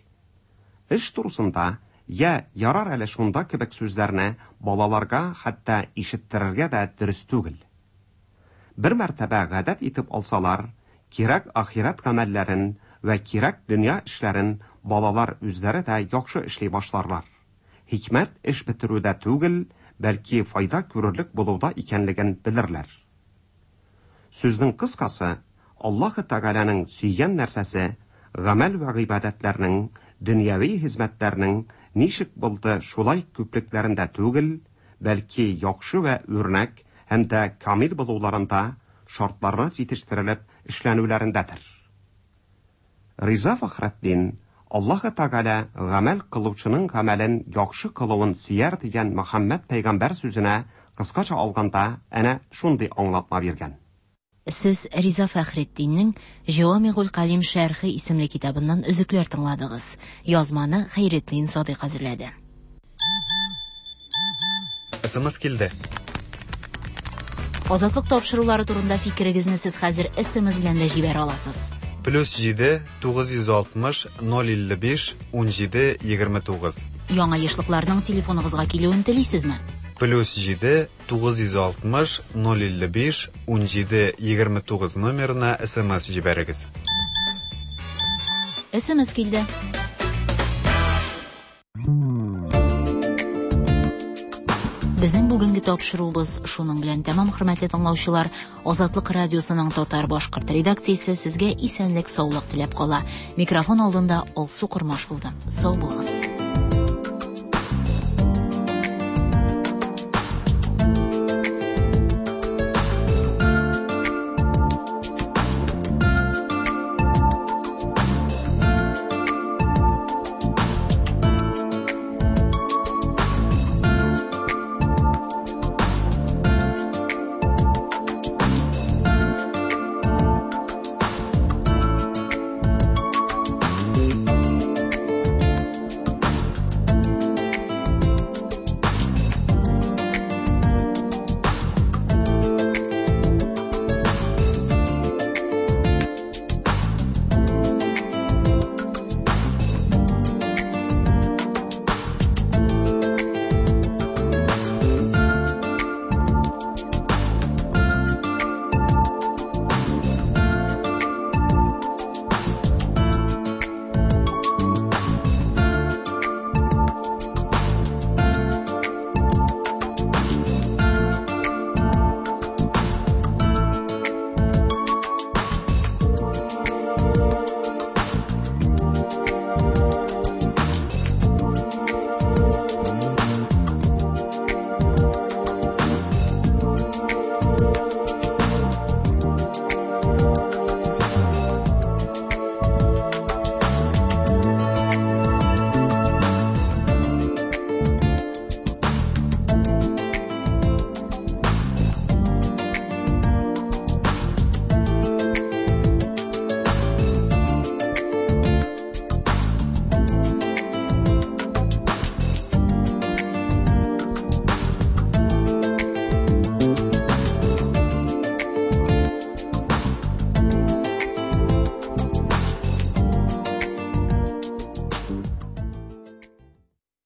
Эш турысында йә ярар әле шунда кебек сүзләрне балаларга хәтта ишеттерергә дә дөрес түгел. Бер мәртәбә гадәт итеп алсалар, кирәк ахирәт гамәлләрен вә кирәк дөнья эшләрен балалар үзләре дә яхшы эшли башларлар. Хикмәт эш бетерүдә түгел, бәлки файда күрерлек булуда икәнлеген белерләр. Сүзнең кыскасы, Аллаһы Тәгаләнең сөйгән нәрсәсе, гамәл вә гыйбадәтләрнең, дөньяви хезмәтләрнең ничек булды шулай күплекләрендә түгел, бәлки яхшы вә үрнәк һәм дә камил булуларында, шартларына җитештерелеп эшләнүләрендәдер. Риза Фәхретдин, Аллаһы Тәгалә гамәл кылучының гамәлен яхшы кылуын сөяр дигән Мөхәммәд пәйгамбәр сүзенә кыскача алганда әнә шундый аңлатма биргән. Сез Риза Фәхретдиннең Җәвамигуль Калим шәрхе исемле китабыннан өзекләр тыңладыгыз. Язманы Хәйретдин Садыйк әзерләде. СМС килде. Азатлык тапшырулары турында фикерегезне сез хәзер СМС белән дә җибәрә аласыз. Плюс 7 960 055 17 29. Яңа ешлыкларның телефоныгызга килүен телисезме? Плюс 7 960 055 17 29 номерына СМС җибәрегез. СМС килде. Безнең бүгенге тапшыруыбыз шуның белән тәмам, хөрмәтле тыңлаучылар. Азатлык радиосының татар башкорт редакциясе сезгә исәнлек, саулык теләп кала. Микрофон алдында Алсу Кормаш булды. Сау булыгыз.